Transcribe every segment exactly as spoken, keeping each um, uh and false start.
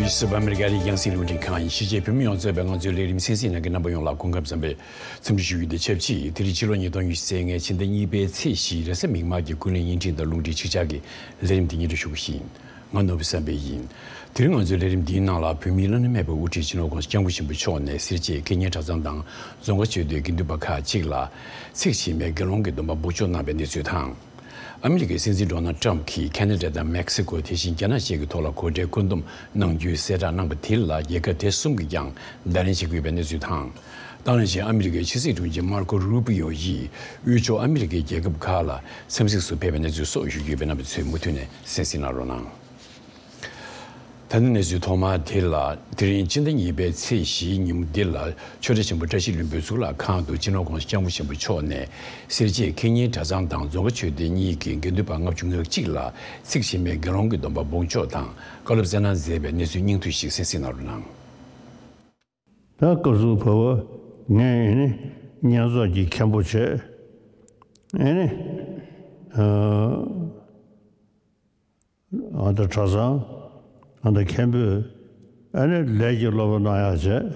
སུ་བ་ཨ་མི་རི་ཀ་རི་ཡང་སྲིད་རླུང་འཕྲིན་ཁང་ཡིན། ཕྱི་རྒྱལ་བོད་མི་ཡོངས་གཙོས་པའི་ང་ཚོའི་ལས་རིམ་གསན་གཟིགས་གནང་མཁན་རྣམ་པ་ཡོངས་ལ་སྐུ་ཁམས་བཟང་པའི་འཚམས་འདྲི་ཞུ་རྒྱུ་དང་ཆབས་ཅིག་དེ་རིང་ཕྱི་ལོ་ཉིས་སྟོང་ཉི་ཤུ་རྩ་ལྔའི་ཕྱི་ཟླ་གཉིས་པའི་ཚེས་བཞི་རེས་གཟའ་མིག་དམར་གྱི་ཀུན་གླེང་བརྙན་འཕྲིན་དང་རླུང་འཕྲིན་ཆིག་ཆར་གྱི་ལས་རིམ་འདི་སྙན་སྒྲོན་ཞུ་གི་ཡིན། ང་ནོར་བུ་བསམ་འཕེལ་ཡིན། དེ་རིང་ང་ཚོའི་ལས་རིམ་འདིའི་ནང་ལ་བོད་མིའི་བླ་ན་མེད་པའི་དབུ་ཁྲིད་སྤྱི་ནོར་༸གོང་ས་༸སྐྱབས་མགོན་ཆེན་པོ་མཆོག་ནས་སེར་བྱེས་ཁེ་ཉེན་གྲྭ་ཚང་དང་རྫོང་ཁ་ཆེ་བསྟོད་དགེ་འདུན་པ་ཁག་ཅིག་ལ་ཚེགས་ཆེ་བའི་དགེ་སློང་གི་སྡོམ་པ་འབོགས་ཆོག་གནང་བའི་གནས་ཚུལ་དང་། ཨ་མི་རི་ཀའི་སྲིད་འཛིན་ཌོ་ནལ་ཊམ་གྱིས་ཁེ་ན་ཌ་དང་མེག་སི་ཀོ་དེ་བཞིན་རྒྱ་ནག་བཅས་ཀྱི་ཐོག་ལ་གོ་གྲལ་བཀོད་འདོམས་གནང་རྒྱུའི་གསལ་བསྒྲགས་གནང་པ་དེ་ལ་རྒྱལ་ཁབ་དེ་གསུམ་གྱིས་ཀྱང་བརྡ་ལན་བྱེད་ཀྱི་ཡོད་པའི་གནས་ཚུལ་དང་། ད་ནང་བཞིན་ཨ་མི་རི་ཀའི་ཕྱི་སྲིད་དྲུང་ཆེ་མར་ཀོ་རུ་པི་ཡོ་ཡིས་དབུས་ཕྱོགས་ཨ་མི་རི་ཀའི་རྒྱལ་ཁབ་ཁག་ལ་འཚམས་གཟིགས་སུ་ཕེབས་པའི་གནས་ཚུལ་སོགས་ཞུ་རྒྱུ་ཡོད་པས་རྣམ་པ་ཚོས་མུ་མཐུད་ནས་གསན་གཟིགས་གནང་རོགས་གནང་། ད་ནི་གནས་ཚུལ་ཐོག་མ་དེ་ལ། དེ་རིང་སྤྱི་ཟླ་གཉིས་པའི་ཚེས་བཞིའི་ཉིན་མོ་འདི་ལ་ཆོས་གྲྭ་ཆེན་པོ་བཀྲ་ཤིས་ལྷུན་པོའི་གཙུག་ལག་ཁང་དུ་སྤྱི་ནོར་༸གོང་ས་༸སྐྱབས་མགོན་ཆེན་པོ་མཆོག་ནས་སེར་བྱེས་ཁེ་ཉེན་གྲྭ་ཚང་དང་རྫོང་དཀར་ཆོས་སྡེ་གཉིས་ཀྱི་དགེ་འདུན་པ་ལྔ་བཅུ་ང་གཅིག་ལ་ཚེགས་ཆེ་བའི་དགེ་སློང་གི་སྡོམ་པ་འབོགས་ཆོག་དང་བཀའ་སློབ་སྩལ་གནང་མཛད་པའི་གནས་ཚུལ་སྙིང་བསྡུས་ཤིག་གསན་གཟིགས་གནང་རོགས་གནང་། ད་སྐབས་སུ་བབ་པ་ངས་ཨེ་ནི་བསྙེན་རྫོགས་ཀྱི་མཁན་པོ་བྱས། ཨེ་ནི་ཨ་ད་གྲྭ་ཚང་ཨ་ད་མཁན་པོས་ཨ་ནི་ལས་ཀྱི་སློབ་པ་གནང་ཡག་བྱས།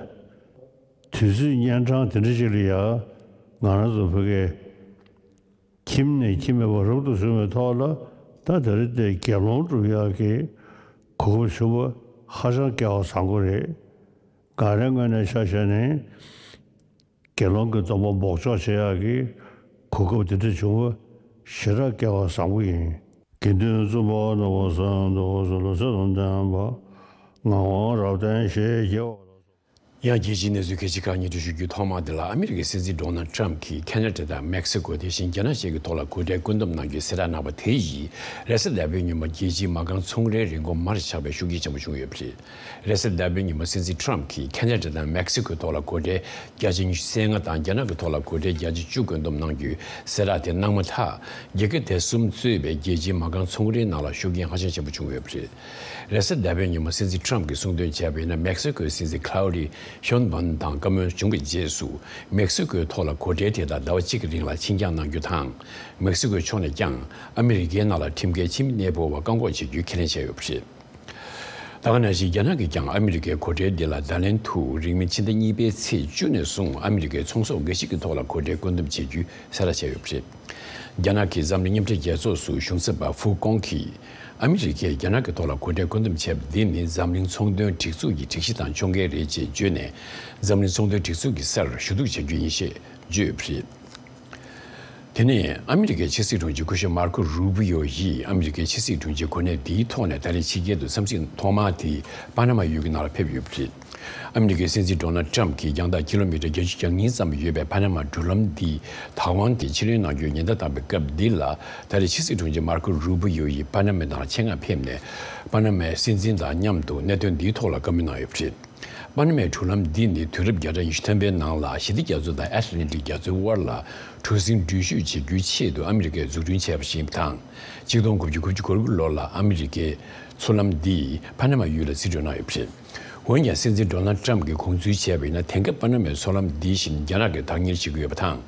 དུས་ཚོད་གཉན་འཕྲང་དེ་འདྲ་ཞིག་ལ་ཡ་ང་རང་ཚོ་བོད་སྐད་ཁྱིམ་ནས་ཁྱིམ་མེད་པར་རབ་ཏུ་བྱུང་བའི་ཐོག་ལ་ད་དེ་རིང་དེ་དགེ་སློང་སྒྲུབ་ཡག་གི་གོ་སྐབས་བྱུང་བ་ཧ་ཅང་སྐལ་བ་བཟང་པོ་རེད། ང་རའི་ངོས་ནས་ཆ་བཞག་ནས། དགེ་སློང་གི་སྡོམ་པ་འབོགས་ཆོག་བྱེད་ཡག་གི་གོ་སྐབས་དེ་འདྲ་བྱུང་བ་ཞེ་དྲག་སྐལ་བ་བཟང་པོ་ཡིན། དགེ་འདུན་བཙུན་པ་ནོར་བུ་བཟང་དུ་སོ་ལོ་ཚོད་དང་ལྡན་པ་ངག་དབང་རབ་བརྟན་ཞེས་བགྱི་བ། ཡང་རྒྱལ་སྤྱིའི་གནས་ཚུལ་ཁག་ཅིག་ཁག་སྙན་སྒྲོན་ཞུ་རྒྱུའི་ཐོག་མ་དེ་ལ། ཨ་མི་རི་ཀའི་སྲིད་འཛིན་ཌོ་ནལ་ཊམ་གྱིས་ཁེ་ན་ཌ་དང་མེག་སི་ཀོ་དེ་བཞིན་རྒྱ་ནག་བཅས་ཀྱི་ཐོག་ལ་གོ་གྲལ་བཀོད་འདོམས་གནང་རྒྱུའི་གསལ་བསྒྲགས་གནང་བ་དེ་ཡིས་རེས་གཟའ་ཟླ་བའི་ཉིན་མོ་རྒྱལ་སྤྱིའི་མ་རྐང་ཚོང་རའི་རིན་གོང་མར་ཆག་པའི་ཤུགས་རྐྱེན་ཆེན་པོ་བྱུང་ཡོད་པ་རེད། རེས་གཟའ་ཟླ་བའི་ཉིན་མོ་སྲིད་འཛིན་ཊམ་གྱིས་ཁེ་ན་ཌ་དང་མེག་སི་ཀོའི་ཐོག་ལ་གོ་གྲལ་བརྒྱ་ཆ་ཉི་ཤུ་རྩ་ལྔ་དང་རྒྱ་ནག་གི་ཐོག་ལ་གོ་གྲལ་བརྒྱ་ཆ་བཅུ་བཀོད་འདོམས་གནང་རྒྱུའི་གསལ་བསྒྲགས་དེ་གནང་མ་ཐག་རྒྱལ་ཁབ་དེ་གསུམ་གཙོས་པའི་རྒྱལ་སྤྱིའི་མ་རྐང་ཚོང་རའི་ནང་ལ་ཤུགས་རྐྱེན་ཧ་ཅང་ཆེན་པོ་བྱུང་ཡོད་པ་རེད། རེས་གཟའ་ཟླ་བའི་ཉིན་མོ་སྲིད་འཛིན་ཊམ་གྱིས་གསུངས་དོན་བྱས་པ་ཡིན་ན། མེག་སི་ཀོའི་སྲིད་འཛིན་ཁ་ལའོ་ཌི་ཤོན་བན་དང་བཀའ་མོལ་བྱུང་བའི་རྗེས་སུ། མེག་སི་ཀོའི་ཐོག་ལ་གོ་གྲལ་དེ་དག་ཟླ་བ་གཅིག་གི་རིང་ལ་ཕྱིར་འགྱངས་གནང་རྒྱུ་དང་། མེག་སི་ཀོའི་ཕྱོགས་ནས་ཀྱང་ཨ་མི་རི་ཀའི་ནང་ལ་ཁྲིམས་འགལ་ཕྱི་མི་གནས་སྤོ་བར་བཀག་འགོག་བྱེད་རྒྱུའི་ཁས་ལེན་བྱས་ཡོད་པ་རེད། ད་ག་ནང་བཞིན་རྒྱ་ནག་གིས་ཀྱང་ཨ་མི་རི་ཀའི་གོ་གྲལ་འདི་ལ་བརྡ་ལན་དུ་རིང་མིན་ཕྱི་ཟླ་གཉིས་པའི་ཚེས་བཅུ་ནས་བཟུང་ཨ་མི་རི་ཀའི་ཚོང་ཟོག་འགའ་ཞིག་གི་ཐོག་ལ་གོ་གྲལ་བཀོད་འདོམས་བྱེད་རྒྱུའི་གསལ་བསྒྲགས་བྱས་ཡོད་པ་རེད། རྒྱ་ནག་གིས་འཛམ་གླིང་མཉམ་འབྲེལ་རྒྱལ་ཚོགས་སུ་གཞུང་ཚབ་པ་ཧྥུ་ཀོང་གིས་ཨ་མི་རི་ཀས་རྒྱ་ནག་གི་ཐོག་ལ་གོ་གྲལ་བཀོད་འདོམས་བྱས་པ་འདི་ནི་འཛམ་གླིང་ཚོང་དོན་སྒྲིག་འཛུགས་ཀྱི་སྒྲིག་གཞི་དང་ཕྱོགས་འགལ་རེད་ཅེས་བརྗོད་ནས། འཛམ་གླིང་ཚོང་དོན་སྒྲིག་འཛུགས་ཀྱི་སར་ཞུ་གཏུག་བྱ་རྒྱུ་ཡིན་ཞེས་བརྗོད་ཡོད་པ་རེད། དེ་ནས་ཨ་མི་རི་ཀའི་ཕྱི་སྲིད་དྲུང་ཆེ་སྐུ་ཞབས་མར་ཀོ་རུ་པི་ཡོ་ཡིས་ཨ་མི་རི་ཀའི་ཕྱི་སྲིད་དྲུང་ཆེའི་གོ་གནས་འདིའི་ཐོག་ནས་ད་རེས་ཕྱི་རྒྱལ་དུ་འཚམས་གཟིགས་ཐོག་མ་དེ་པ་ན་མ་ཡུལ་གྱི་ནང་ལ་ཕེབས་ཡོད་པ་རེད། ཨ་མི་རི་ཀའི་སྲིད་འཛིན་ཌོ་ནལ་ཊམ་གྱིས་རྒྱང་ཐག་ཀི་ལོ་མི་ཊར་བརྒྱད་ཅུ་གྱ་གཉིས་ཙམ་ཡོད་པའི་པ་ན་མ་འགྲུལ་ལམ་འདི་ཐའེ་ཝན་གྱིས་ཕྱིར་ལེན་གནང་རྒྱུའི་ཉེན་བརྡ་བཏང་བའི་སྐབས་འདི་ལ། ད་རེས་ཕྱི་སྲིད་དྲུང་ཆེ་མར་ཀོ་རུ་པི་ཡོ་ཡིས་པ་ན་མའི་ནང་ཆེད་མངགས་ཕེབས་ནས། པ་ན་མའི་སྲིད་འཛིན་དང་མཉམ་དུ་གནད་དོན་འདིའི་ཐོག་ལ་བཀའ་མོལ་གནང་ཡོད་པ་རེད། པ་ན་མའི་འགྲུལ་ལམ་འདི་ནི་དུས་རབས་བརྒྱ་ཕྲག་ཉི་ཤུ་ཐམ་པའི་ནང་ལ་ཞི་བདེ་རྒྱ་མཚོ་དང་ཨེཊ་ལན་ཊིག་རྒྱ་མཚོའི་དབར་ལ་གྲུ་གཟིངས་འགྲུལ་བཞུད་བྱེད་རྒྱུའི་ཆེད་དུ་ཨ་མི་རི་ཀས་འཛུགས་སྐྲུན་བྱས་པ་ཞིག་ཡིན་པ་དང་། ཆིག་སྟོང་དགུ་བརྒྱ་དགུ་བཅུ་གོ་དགུ་ལོ་ལ་ཨ་མི་རི་ཀས་མཚོ་ལམ་འདི་པ་ན་མ་ཡུལ་ལ་རྩིས་སྤྲོད་གནང་ཡོད་པ་རེད། འོན་ཀྱང་སྲིད་འཛིན་ཌོ་ནལ་ཊམ་གྱིས་དགོངས་ཚུལ་བྱས་པ་ཡིན་ན། དེང་སྐབས་པ་ན་མའི་མཚོ་ལམ་འདི་བཞིན་རྒྱ་ནག་གིས་བདག་གཉེར་བྱེད་ཀྱི་ཡོད་པ་དང་།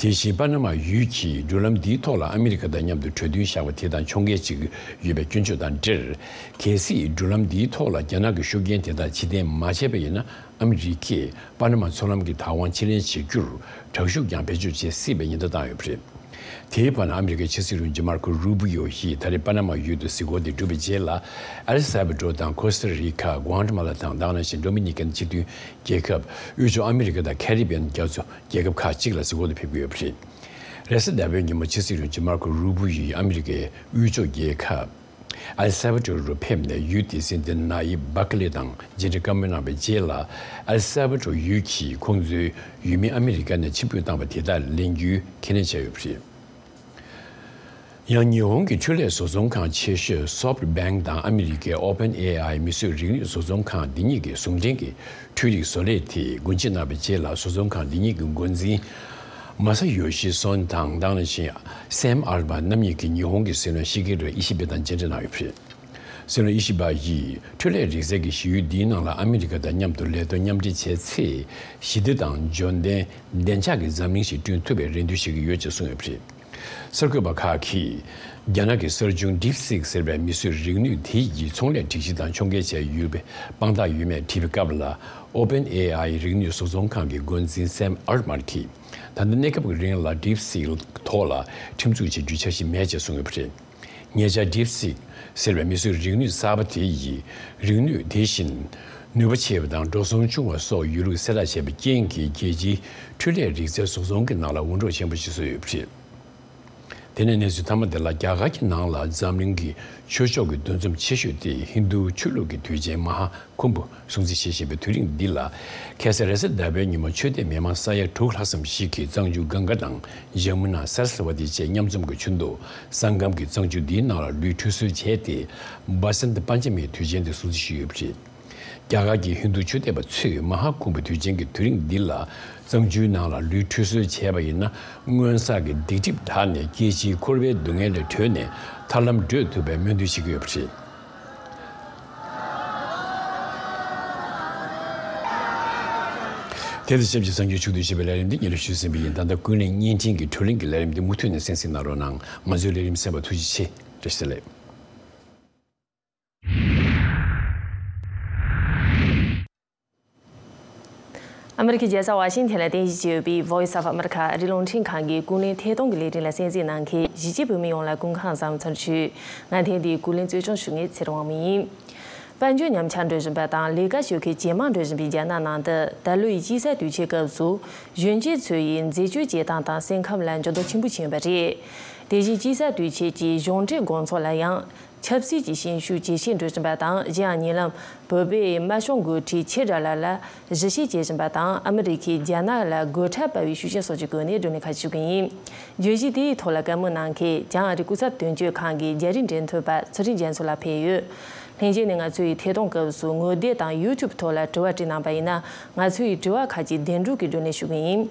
དེ་བཞིན་པ་ན་མ་ཡུལ་གྱིས་འགྲུལ་ལམ་འདིའི་ཐོག་ལ་ཨ་མི་རི་ཀ་དང་མཉམ་དུ་གྲོས་མཐུན་བཞག་པ་དེ་དང་ཕྱོགས་འགལ་ཅིག་ཡོད་པའི་སྐྱོན་བརྗོད་དང་འབྲེལ། གལ་སྲིད་འགྲུལ་ལམ་འདིའི་ཐོག་ལ་རྒྱ་ནག་གི་ཤུགས་རྐྱེན་དེ་དག་ཕྱིར་འཐེན་མ་བྱས་པ་ཡིན་ན། ཨ་མི་རི་ཀས་པ་ན་མ་མཚོ་ལམ་གྱི་ཐའེ་ཝན་ཕྱིར་ལེན་བྱེད་རྒྱུར་དྲག་ཤུགས་ཀྱང་བེད་སྤྱོད་བྱེད་སྲིད་པའི་ཉེན་བརྡ་བཏང་ཡོད་པ་རེད། དེའི་བར་ན་ཨ་མི་རི་ཀའི་ཕྱི་སྲིད་དྲུང་ཆེ་མར་ཀོ་རུ་པི་ཡོ་ཡིས་ད་རེས་པ་ན་མ་ཡུལ་དུ་གཟིགས་སྐོར་དེ་གྲུབ་པའི་རྗེས་ལ། ཨེལ་སཱ་བྷ་ཏོར་དང་ཁོ་སྟ་རི་ཀ། གུ་ཨ་ཏི་མ་ལ་དང་། ད་ག་ནང་བཞིན་ཌོ་མི་ནི་ཀན་སྤྱི་མཐུན་རྒྱལ་ཁབ། དབུས་ཕྱོགས་ཨ་མི་རི་ཀ་དང་ཁེ་རི་བི་ཡན་རྒྱ་མཚོ་རྒྱལ་ཁབ་ཁག་ཅིག་ལ་གཟིགས་སྐོར་དུ་ཕེབས་ཀྱི་ཡོད་པ་རེད། རེས་གཟའ་ཟླ་བའི་ཉིན་མོ་ཕྱི་སྲིད་དྲུང་ཆེ་མར་ཀོ་རུ་པི་ཡོ་ཡིས་ཨ་མི་རི་ཀའི་དབུས་ཕྱོགས་རྒྱལ་ཁབ་ཨེལ་སཱ་བྷ་ཏོར་རུ་ཕེབས་ནས། ཡུལ་དེའི་སྲིད་འཛིན་ན་ཡིབ་བྷ་ཀ་ལེ་དང་མཇལ་འཕྲད་བཀའ་མོལ་གནང་བའི་རྗེས་ལ། ཨེལ་སཱ་བྷ་ཏོར་ཡུལ་གྱིས་ཁོང་ཚོའི་ཡུལ་མི་ཨ་མི་རི་ཀ་ནས་ཕྱིར་འབུད་བཏང་བ་དེ་དག་ལེན་རྒྱུའི་ཁས་ལེན་བྱས་ཡོད་པ་རེད། ཡང་ཉི་ཧོང་གི་འཕྲུལ་ལས་བཟོ་ཚོང་ཁང་ཆེ་ཤོས་སོཕ་ཊི་བྷེང་ཀི་དང་ཨ་མི་རི་ཀའི་ཨོ་པན་ཨེ་ཨའི་མིས་བཟོས་རིག་ནུས་བཟོ་ཚོང་ཁང་འདི་གཉིས་ཀྱི་ཟུང་འབྲེལ་གྱི་འཕྲུལ་རིག་བཟོ་ལས་དེ་སྒོ་འབྱེད་གནང་བའི་རྗེས་ལ། བཟོ་ཚོང་ཁང་འདི་གཉིས་ཀྱི་འགོ་འཛིན་མ་ས་ཡོ་ཤི་སོན་དང་། ད་ག་ནང་བཞིན་སེམ་ཨལ་ཏི་མན་རྣམ་གཉིས་ཀྱིས་ཉི་ཧོང་གི་སྲིད་བློན་ཤི་ཀེ་རུ་ཨི་ཤི་བེ་དང་མཇལ་འཕྲད་གནང་ཡོད་པ་རེད། སྲིད་བློན་ཨི་ཤི་བ་ཡིས་འཕྲུལ་ལས་རིག་རྩལ་གྱི་གཞི་ཡུལ་འདིའི་ནང་ལ་ཨ་མི་རི་ཀ་དང་མཉམ་དུ་ལས་དོན་མཉམ་འབྲེལ་བྱས་ཚེ། ཞི་བདེ་དང་འབྱོར་ལྡན་བདེ་འཇགས་ཀྱི་འཛམ་གླིང་ཞིག་བསྐྲུན་ཐུབ་པའི་རེ་འདུན་བཞེས་ཀྱི་ཡོད་ཅེས་གསུངས་ཡོད་པ་རེད། གསར་འགོད་པ་ཁག་གིས། རྒྱ་ནག་གི་གསར་བྱུང་DeepSeek་ཟེར་བའི་མིག་བཟོས་རིག་ནུས་དེ་ཡི་ཚོང་ལས་སྒྲིག་གཞི་དང་ཕྱོགས་འགལ་བྱས་ཡོད་པའི་དཔང་རྟགས་ཡོད་མེད་དྲིས་པའི་སྐབས་ལ། OpenAI རིག་ནུས་བཟོ་ཚོང་ཁང་གི་འགོ་འཛིན་Sam Altman་གྱིས། ད་ལྟ་གནས་སྐབས་ཀྱི་རིང་ལ་DeepSeek་ཐོག་ལ་ཁྲིམས་འཛུགས་བྱེད་རྒྱུའི་འཆར་གཞི་མེད་ཅེས་གསུངས་ཡོད་པ་རེད། ཉེ་ཆར་DeepSeek་ཟེར་བའི་མིག་བཟོས་རིག་ནུས་གསར་པ་དེ་ཡིས་རིག་ནུས་དེ་བཞིན་ནུས་པ་ཆེ་བ་དང་འགྲོ་སོང་ཆུང་བ་སོགས་ཡོད་ལུགས་གསལ་བསྒྲགས་བྱས་པའི་རྐྱེན་གྱིས། རྒྱལ་སྤྱིའི་འཕྲུལ་ལས་རིག་རྩལ་བཟོ་ཚོང་གི་ནང་ལ་འུར་སྒྲོག་ཆེན་པོ་ཞིག་བཟོས་ཡོད་པ་རེད། དེ་ནས་གནས་ཚུལ་མཐའ་མ་དེ་ལ། རྒྱ་གར་གྱི་ནང་ལ་འཛམ་གླིང་གི་ཆོས་ཕྱོགས་ཀྱི་འདུ་འཛོམས་ཆེ་ཤོས་དེ་ཧིན་རྡུ་ཆོས་ལུགས་ཀྱི་དུས་ཆེན་མ་ཧཱ་ཁུམ་བུ་སྲུང་བརྩི་བྱེད་བཞིན་པའི་དུས་རིང་འདི་ལ། ཁ་སང་རེས་གཟའ་ཟླ་བའི་ཉིན་མོ་ཆོས་དད་མི་མང་ས་ཡ་དྲུག་ལྷག་ཙམ་ཞིག་གིས་གཙང་ཆུ་གངྒཱ་དང་ཇ་མུ་ན་སར་སི་ཝ་ཏི་བཅས་མཉམ་འཛོམས་ཀྱི་ཆུ་མདོ་སང་གམ་གྱི་གཙང་ཆུ་འདིའི་ནང་ལ་ལུས་ཁྲུས་གསོལ་བྱས་ཏེ། བ་སནྟ་པན་ཅ་མིའི་དུས་ཆེན་དེ་སྲུང་བརྩི་ཞུས་ཡོད་པ་རེད། རྒྱ་གར་གྱི་ཧིན་རྡུ་ཆོས་དད་པ་ཚོས་མ་ཧཱ་ཁུམ་བུ་དུས་ཆེན་གྱི་དུས་རིང་འདི་ལ། གཙང་ཆུའི་ནང་ལ་ལུས་ཁྲུས་གསོལ་བྱས་པ་ཡིན་ན། སྔོན་བསགས་ཀྱི་སྡིག་སྒྲིབ་དག་ནས་སྐྱེ་འཆིའི་འཁོར་བའི་སྡུག་བསྔལ་ལས་གྲོལ་ནས་ཐར་ལམ་བགྲོད་ཐུབ་པའི་སྨོན་འདུན་བྱེད་ཀྱི་ཡོད་པ་རེད། དེ་དང་ཆབས་ཅིག་གསར་འགྱུར་ཕྱོགས་བསྡུས་བྱས་པའི་ལས་རིམ་འདི་སྙན་སྒྲོན་ཞུས་ཟིན་པ་ཡིན། ད་ལྟ་ཀུན་གླེང་བརྙན་འཕྲིན་གྱི་བགྲོ་གླེང་གི་ལས་རིམ་འདི་མུ་མཐུད་ནས་གསན་གཟིགས་གནང་རོགས་གནང་། ང་ཚོའི་ལས་རིམ་གསན་པར་ཐུགས་རྗེ་ཆེ། བཀྲ་ཤིས་བདེ་ལེགས། ཨ་མི་རི་ཀའི་རྒྱལ་ས་ཝ་ཤིང་ཐན་ལ་རྟེན་གཞི་བྱས་ཡོད་པའི་Voice of America ཨ་རིའི་རླུང་འཕྲིན་ཁང་གི་ཀུན་གླེང་ཐད་གཏོང་གི་ལས་རིམ་ལ་གསན་གཟིགས་གནང་མཁན་གཞིས་བྱེས་བོད་མི་ཡོངས་ལ་སྐུ་ཁམས་བཟང་། ཚར་ཞུ། ང་ཐེངས་འདིའི་ཀུན་གླེང་གཙོ་སྐྱོང་ཞུ་མཁན་ཚེ་རིང་དབང་མོ་ཡིན། དཔལ་འབྱོར་ཉམས་ཆག་འགྲོ་བཞིན་པ་དང་ལས་ཀ་ཞོགས་ཁའི་ཇེ་མང་འགྲོ་བཞིན་པའི་རྒྱ་ནག་ནང་དུ། ད་ལོའི་དཔྱིད་གསར་དུས་ཆེན་སྐབས་སུ་གཞོན་སྐྱེས་ཚོ་ཡི་འཛད་སྤྱོད་བྱེད་སྟངས་དང་སེམས་ཁམས་ལ་འགྱུར་ལྡོག་ཆེན་པོ་ཕྱིན་ཡོད་པ་རེད། དེ་བཞིན་དཔྱིད་གསར་དུས་ཆེན་གྱི་གཞུང་འབྲེལ་དགོང་ཚོགས་ལ་ཡང་། ཆབ་སྲིད་ཀྱི་ཤན་ཤུགས་ཇེ་ཆེར་འགྲོ་བཞིན་པ་དང་། གཞན་ཡང་ཉེ་ལམ་བོད་པའི་དམར་གཞུང་འགོ་ཁྲིད་ཆེ་དགྲ་ལགས་ལ་ཞི་བྱེད་བྱེད་བཞིན་པ་དང་། ཨ་མི་རི་ཁས་རྒྱ་ནག་ལ་དགོད་བྲ་སྤར་བའི་ཤུགས་རྐྱེན་སོགས་ཀྱི་སྒོ་ནས་བགྲོ་གླེང་ཁ་ཕྱེ་གི་ཡིན། བརྗོད་གཞི་དེའི་ཐོག་ལ་བཀའ་མོལ་གནང་མཁན་བྱང་ཨ་རིའི་སྐུ་ཚབ་དོན་གཅོད་ཁང་གི་རྒྱ་རིགས་འབྲེལ་མཐུད་པ་ཚུལ་ཁྲིམས་རྒྱ་མཚོ་ལགས་ཕེབས་ཡོད། ལྷན་རྒྱས་ནས་ང་ཚོའི་ཐད་གཏོང་སྐབས་སུ་ངོ་དེབ་དང་YouTube་ཐོག་ལ་དྲི་བ་བྲིས་གནང་པ་ཡིན་ན། ང་ཚོའི་དྲི་བ་ཁག་ཅིག་བདེན་དྲུག་གི་སྒྲོན་ནས་ཞུ་གི་ཡིན།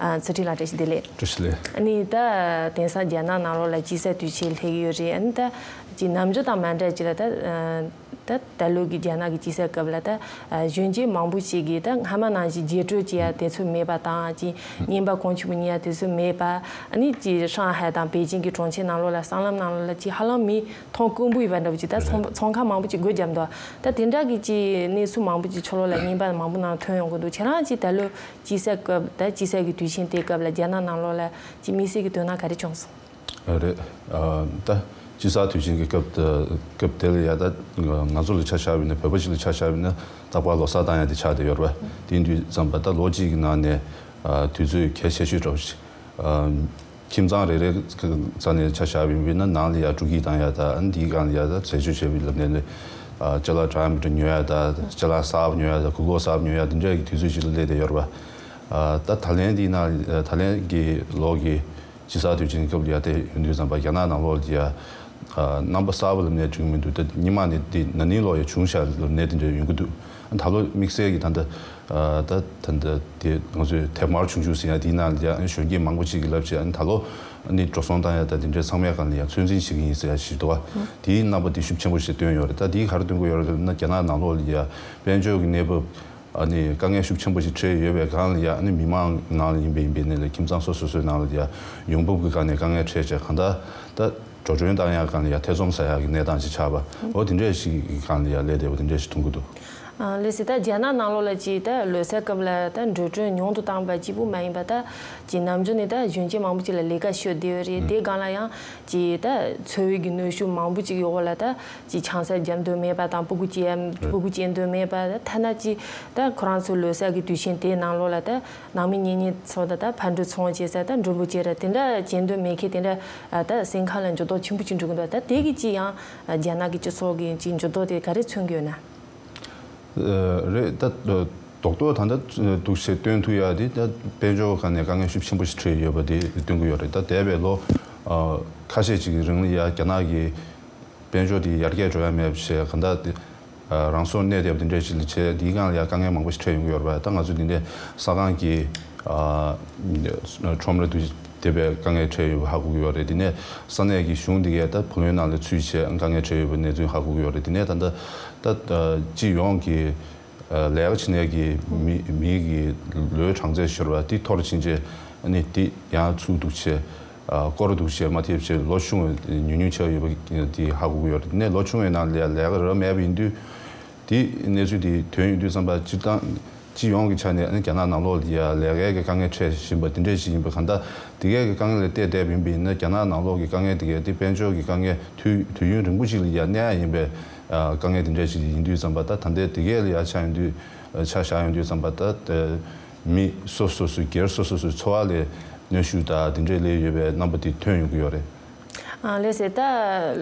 ཨ། ཚུལ་ཁྲིམས་ལགས་བཀྲ་ཤིས་བདེ་ལེགས། བཀྲ་ཤིས་བདེ་ལེགས། ཨ་ནི་ད་དེང་སང་རྒྱ་ནག་ནང་ལོགས་ལ་དཔྱིད་གསར་དུས་ཆེན་སླེབས་ཀྱི་ཡོད་རེད། ཨ་ནི་ད་ཅིག་ནམ་རྒྱུན་དང་མ་འདྲ་ཅིག་ལ་ད། ཨ། ད་ད་ལོ་གི་རྒྱ་ནག་གི་དཔྱིད་གསར་སྐབས་ལ་ད། ཨ། གཞོན་སྐྱེས་མང་པོ་ཞིག་གིས་ད་སྔ་མ་ནང་བཞིན་རྒྱས་སྤྲོས་བྱེད་ཡ་དེ་ཚོ་མེད་པ་དང་། ཅིག་རྔན་པ་གོང་ཆེན་པོ་ཉོ་ཡ་དེ་ཚོ་མེད་པ། ཨ་ནི་ཅིག་ཧྲང་ཧའེ་དང་པེ་ཅིང་གི་གྲོང་ཁྱེར་ནང་ལོགས་ལ་སྲང་ལམ་ནང་ལོགས་ལ་ཅིག་ཧ་ལམ་མི་མཐོང་དཀོན་པོ་ཡོད་པ་འདྲ་པོ་ཅིག་ད་ཚོང་ཚོང་ཁང་མང་པོ་ཅིག་སྒོ་བརྒྱབ་འདུག་ད་དེ་འདྲ་གི་ཅིག་གནས་ཚུལ་མང་པོ་ཅིག་ཕྱི་ལོགས་ལ་རྔན་པ་མང་པོ་ནང་ཐོན་ཡོང་གི་འདུག་ཁྱེད་རང་ཅིག་ད་ལོ་དཔྱིད་གསར་སྐབས། ད་དཔྱིད་གསར་གྱི་དུས་ཆེན་དེའི་སྐབས་ལ་རྒྱ་ནག་ནང་ལོགས་ལ་ཅིག་དམིགས་བསལ་གྱི་དོན་དག་ག་རེ་བྱུང་སོང་། ཨ། རེད། ཨ། ད་དཔྱིད་གསར་དུས་ཆེན་གྱི་སྐབས་དེ། སྐབས་དེ་ལ་ཡ་ད་ང་ཚོ་ལ་ཆ་བཞག་པ་ཡིན་ན། བོད་པ་ཞིག་ལ་ཆ་བཞག་པ་ཡིན་ན། རྟག་པར་ལོ་གསར་བཏང་ཡ་དེ་ཆགས་བསྡད་ཡོད་རེད་པ། དེ་ཡིན་དུས་ཙམ་པ་ད་ལོ་གཅིག་གི་ནང་ནས། ཨ། དུས་ཚོད་གལ་ཆེ་ཤོས་འདྲ་པོ་ཞིག་ཨ། ཁྱིམ་ཚང་རེ་རེ་རྩ་ནས་ཆ་བཞག་པ་ཡིན་ན། ནང་ལ་ཡ་སྤྲོ་སྐྱིད་བཏང་ཡ་དང་། ཨ་ནི་དེའི་སྒང་ལ་ཡ་ད་འཛད་སྤྱོད་བྱེད་པའི་ལམ་ནས་ལས། ཨ། ཅ་ལག་འདྲ་མི་འདྲ་ཉོ་ཡ་དང་། ཅ་ལག་གསར་པ་ཉོ་ཡ་དང་། གོས་གོས་གསར་པ་ཉོ་ཡ། དེ་འདྲ་གི་དུས་ཚོད་ཅིག་ལ་སླེབས་བསྡད་ཡོད་རེད་པ། ཨ། ད་ད་ལན་འདི་ན། ད་ལན་གྱི་ལོ་གི་དཔྱིད་གསར་དུས་ཆེན་སྐབས་ལ་ཡ་དེ་ཡོང་དུས་ཙམ་པ་རྒྱ་ནག་ནང་ལོགས་ལ་ཡ། ཨ། རྣམ་པ་གསར་པ་ལབ་ནས་འགྲིག་གི་མི་འདུག་ད་སྔོན་མ་ནས་འདི་ན་ནིང་ལོ་ཡ་བྱུང་ཤག་ལབ་ནས་དེ་འདྲ་ཡོང་གི་འདུག་ད་ལོ་དམིགས་བསལ་གྱི་ད་ལྟ། ཨ། ད་ད་ལྟ་དེ་ང་ཚོས་དེབ་དམར་ཆུང་ཆུང་ཟེར་ཡ་དེའི་ནང་ལ་ཡ། ཨ་ནི་གཞོན་སྐྱེས་མང་པོ་ཅིག་གིས་ལབ་བྱས། ཨ་ནི་ད་ལོ་ཨ་ནི་འགྲོ་སོང་བཏང་ཡ་དང་དེ་འདྲའི་ཚང་མའི་སྒང་ལ་ཡ་ཚོད་འཛིན་བྱེད་ཀྱི་ཡིན་ཟེར་ཡ་ཞིག་འདུག་པ། དེའི་རྣམ་པ་དེ་ཤུགས་ཆེན་པོ་ཞིག་སྟོན་ཡོད་རེད། ད་དེས་ག་རེ་སྟོན་གྱི་ཡོད་རེད་ལབ་ན། རྒྱ་ནག་ནང་ལོགས་ལ་ཡ་དཔལ་འབྱོར་གྱི་གནས་བབ། ཨ་ནི་དཀའ་ངལ་ཤུགས་ཆེན་པོ་ཞིག་འཕྲད་ཡོད་པའི་སྒང་ལ་ཡ། ཨ་ནི་མི་མང་ནང་ལ་ཡིན་པའི་ཡིན་པའི་ནས་ལས། ཁྱིམ་ཚང་སོ་སོ་སོའི་ནང་ལ་ཡ་ཡོང་འབབ་ཀྱི་སྒང་ནས་དཀའ་ངལ་འཕྲད་བྱས། གང་ལྟར་ད་འགྲོ་གྲོན་བཏང་ཡ་སྒང་ལ་ཡ་ཐེ་ཚོམ་ཟ་ཡ་གི་གནས་སྟངས་ཤིག་ཆགས་པ། འོ་དེ་འདྲས་ཤིག་གི་སྒང་ལ་ཡ་སླེབས་བསྡད་པ་དེ་འདྲས་ཤིག་མཐོང་གི་འདུག་ཨ། ལགས་སོ། ད་རྒྱ་ནག་ནང་ལོགས་ལ་ཅིག་ད་ལོ་གསར་སྐབས་ལ་ད་འགྲོ་གྲོན་ཉུང་དུ་བཏང་བ་གཅིག་པུ་མ་ཡིན་པ། ད་ཅིག་ནམ་རྒྱུན་ནས་ད་གཞོན་སྐྱེས་མང་པོ་ཅིག་ལ་ལས་ཀ་ཤོར་བསྡད་ཡོད་རེད། དེའི་སྒང་ལ་ཡང་ཅིག་ད་འཚོ་བའི་གི་གནོན་ཤུགས་མང་པོ་ཅིག་ཡོད་ལ། ད་ཅིག་ཆང་ས་རྒྱག་འདོད་མེད་པ་དང་། སྤུ་གུ་སྐྱེ་སྤུ་གུ་སྐྱེ་འདོད་མེད་པ། ཐ་ན་ཅིག་ད་ཁོ་རང་ཚོའི་ལོ་གསར་གྱི་དུས་ཆེན་དེའི་ནང་ལོགས་ལ་ད་ནང་མི་གཉེན་ཉེ་ཚོ་དང་། ད་ཕར་འགྲོ་ཚུར་འོང་བྱེད་ས། ད་འགྲོ་འབུལ་བྱེད་ར་དེ་འདྲ་བྱེད་འདོད་མེད་མཁན་དེ་འདྲ། ད་སེམས་ཁམས་ལ་འགྱུར་ལྡོག་ཆེན་པོ་ཅིག་འགྲོ་གི་འདུག་ད་དེ་གི་ཅིག་ཡང་རྒྱ་ནག་གི་སྤྱི་ཚོགས་ཀྱི་ཅིག་འགྱུར་ལྡོག་དེ་ག་རེ་མཚོན་གྱི་ཡོད་ན། ཨ། རེད། ད་རྡོག་རྡོག་ད་ལྟ་འདུག་སེ་སྟོན་ཐུབ་ཡ་དེ། ད་དཔལ་འབྱོར་སྒང་ནས་དཀའ་ངལ་ཤུགས་ཆེན་པོ་ཞིག་འཕྲད་ཡོད་པ་དེ་སྟོན་གྱི་ཡོད་རེད། ད་འདས་པའི་ལོ། ཨ། ཁ་ཤས་ཅིག་གི་རིང་ལ་ཡ་རྒྱ་ནག་གི་དཔལ་འབྱོར་དེ་ཡར་རྒྱས་འགྲོ་ཡ་མེད་པ་བྱས། གང་ལྟར་དེ། ཨ། རང་སྲོག་གནས་བསྡད་པ་དེ་འདྲས་ཞིག་ལ་བྱས། དེའི་སྒང་ལ་ཡ་དཀའ་ངལ་མང་པོ་ཞིག་འཕྲད་ཡོང་གི་ཡོད་རེད་པ། ད་ང་ཚོ་འདི་འདྲས་ས་ཁང་གི། ཨ། ཁྲོམ་ར་དུ་དེ་བས་དཀའ་ངལ་འཕྲད་ཡོད་པ་ཧ་གོ་གི་ཡོད་རེད། དེ་ནས་ས་གནས་ཀྱི་གཞུང་འདི་གས་ད་བུ་ལོན་ནང་ལ་ཚུད་བྱས་དཀའ་ངལ་འཕྲད་ཡོད་པའི་གནས་ཚུལ་ཧ་གོ་གི་ཡོད་རེད། དེ་ནས་ད་ལྟ་ད་སྤྱི་ཡོངས་ཀྱི། ཨ། ལས་ཀ་བྱེད་མཁན་གྱི་མི་མི་གི་ལོའི་གྲངས་ཚད་ཟེར་བ་དེ་མཐོ་རུ་ཕྱིན་བྱས། ཨ་ནི་དེ་ཡང་ཚུར་འདུག་བྱས། ཨ་སྐོར་འདུག་བྱས་མ་ཐེབས་བྱས་ལོ་ཆུང་བའི་ཉུང་ཉུང་ཆགས་ཡོད་པ་དེ་ཧ་གོ་གི་ཡོད་རེད། ནས་ལོ་ཆུང་བའི་ནང་ལ་ཡ་ལས་ཀ་རག་མེད་པ་ཡིན་དུས། དེ་གནས་ཚུལ་དེ་ཐོན་ཡོང་དུས་ཙམ་པ་སྤྱིར་བཏང་སྤྱི་ཡོངས་ཀྱི་ཆ་ནས་ཨ་ནི་རྒྱ་ནག་ནང་ལོགས་ལ་ཡ་ལས་ཀའི་གི་དཀའ་ངལ་འཕྲད་བཞིན་པ་དེ་འདྲས་ཞིག་ཡིན་པ། གང་ལྟར་དེ་གའི་གི་དཀའ་ངལ་ལ་བལྟས་བསྡད་པ་ཡིན་པ་ཡིན་ན། རྒྱ་ནག་ནང་ལོགས་ཀྱི་དཀའ་ངལ་དེ་གའི་དེ་དཔལ་འབྱོར་གྱི་དཀའ་ངལ་དུས་དུས་ཡུན་རིང་པོ་ཞིག་ལ་ཡ་གནས་ཡ་ཡིན་པའི་ཨ་དཀའ་ངལ་དེ་འདྲས་ཞིག་ཡིན་དུས་ཙམ་པ། ད་ད་ལྟའི་དེ་གས་ལ་ཡ་ཆ་ཡོང་དུས་ཨ་ཆ་བཞག་ཡོང་དུས་ཙམ་པ། ད་ཨ་མི་སོ་སོ་སོའི་སྒེར་སོ་སོ་སོའི་འཚོ་བ་ལ་གནོན་ཤུགས་དང་དེ་འདྲས་སླེབས་ཡོད་པའི་རྣམ་པ་དེ་ཐོན་ཡོང་གི་ཡོད་རེད། ཨ་ལགས་སེ། ད་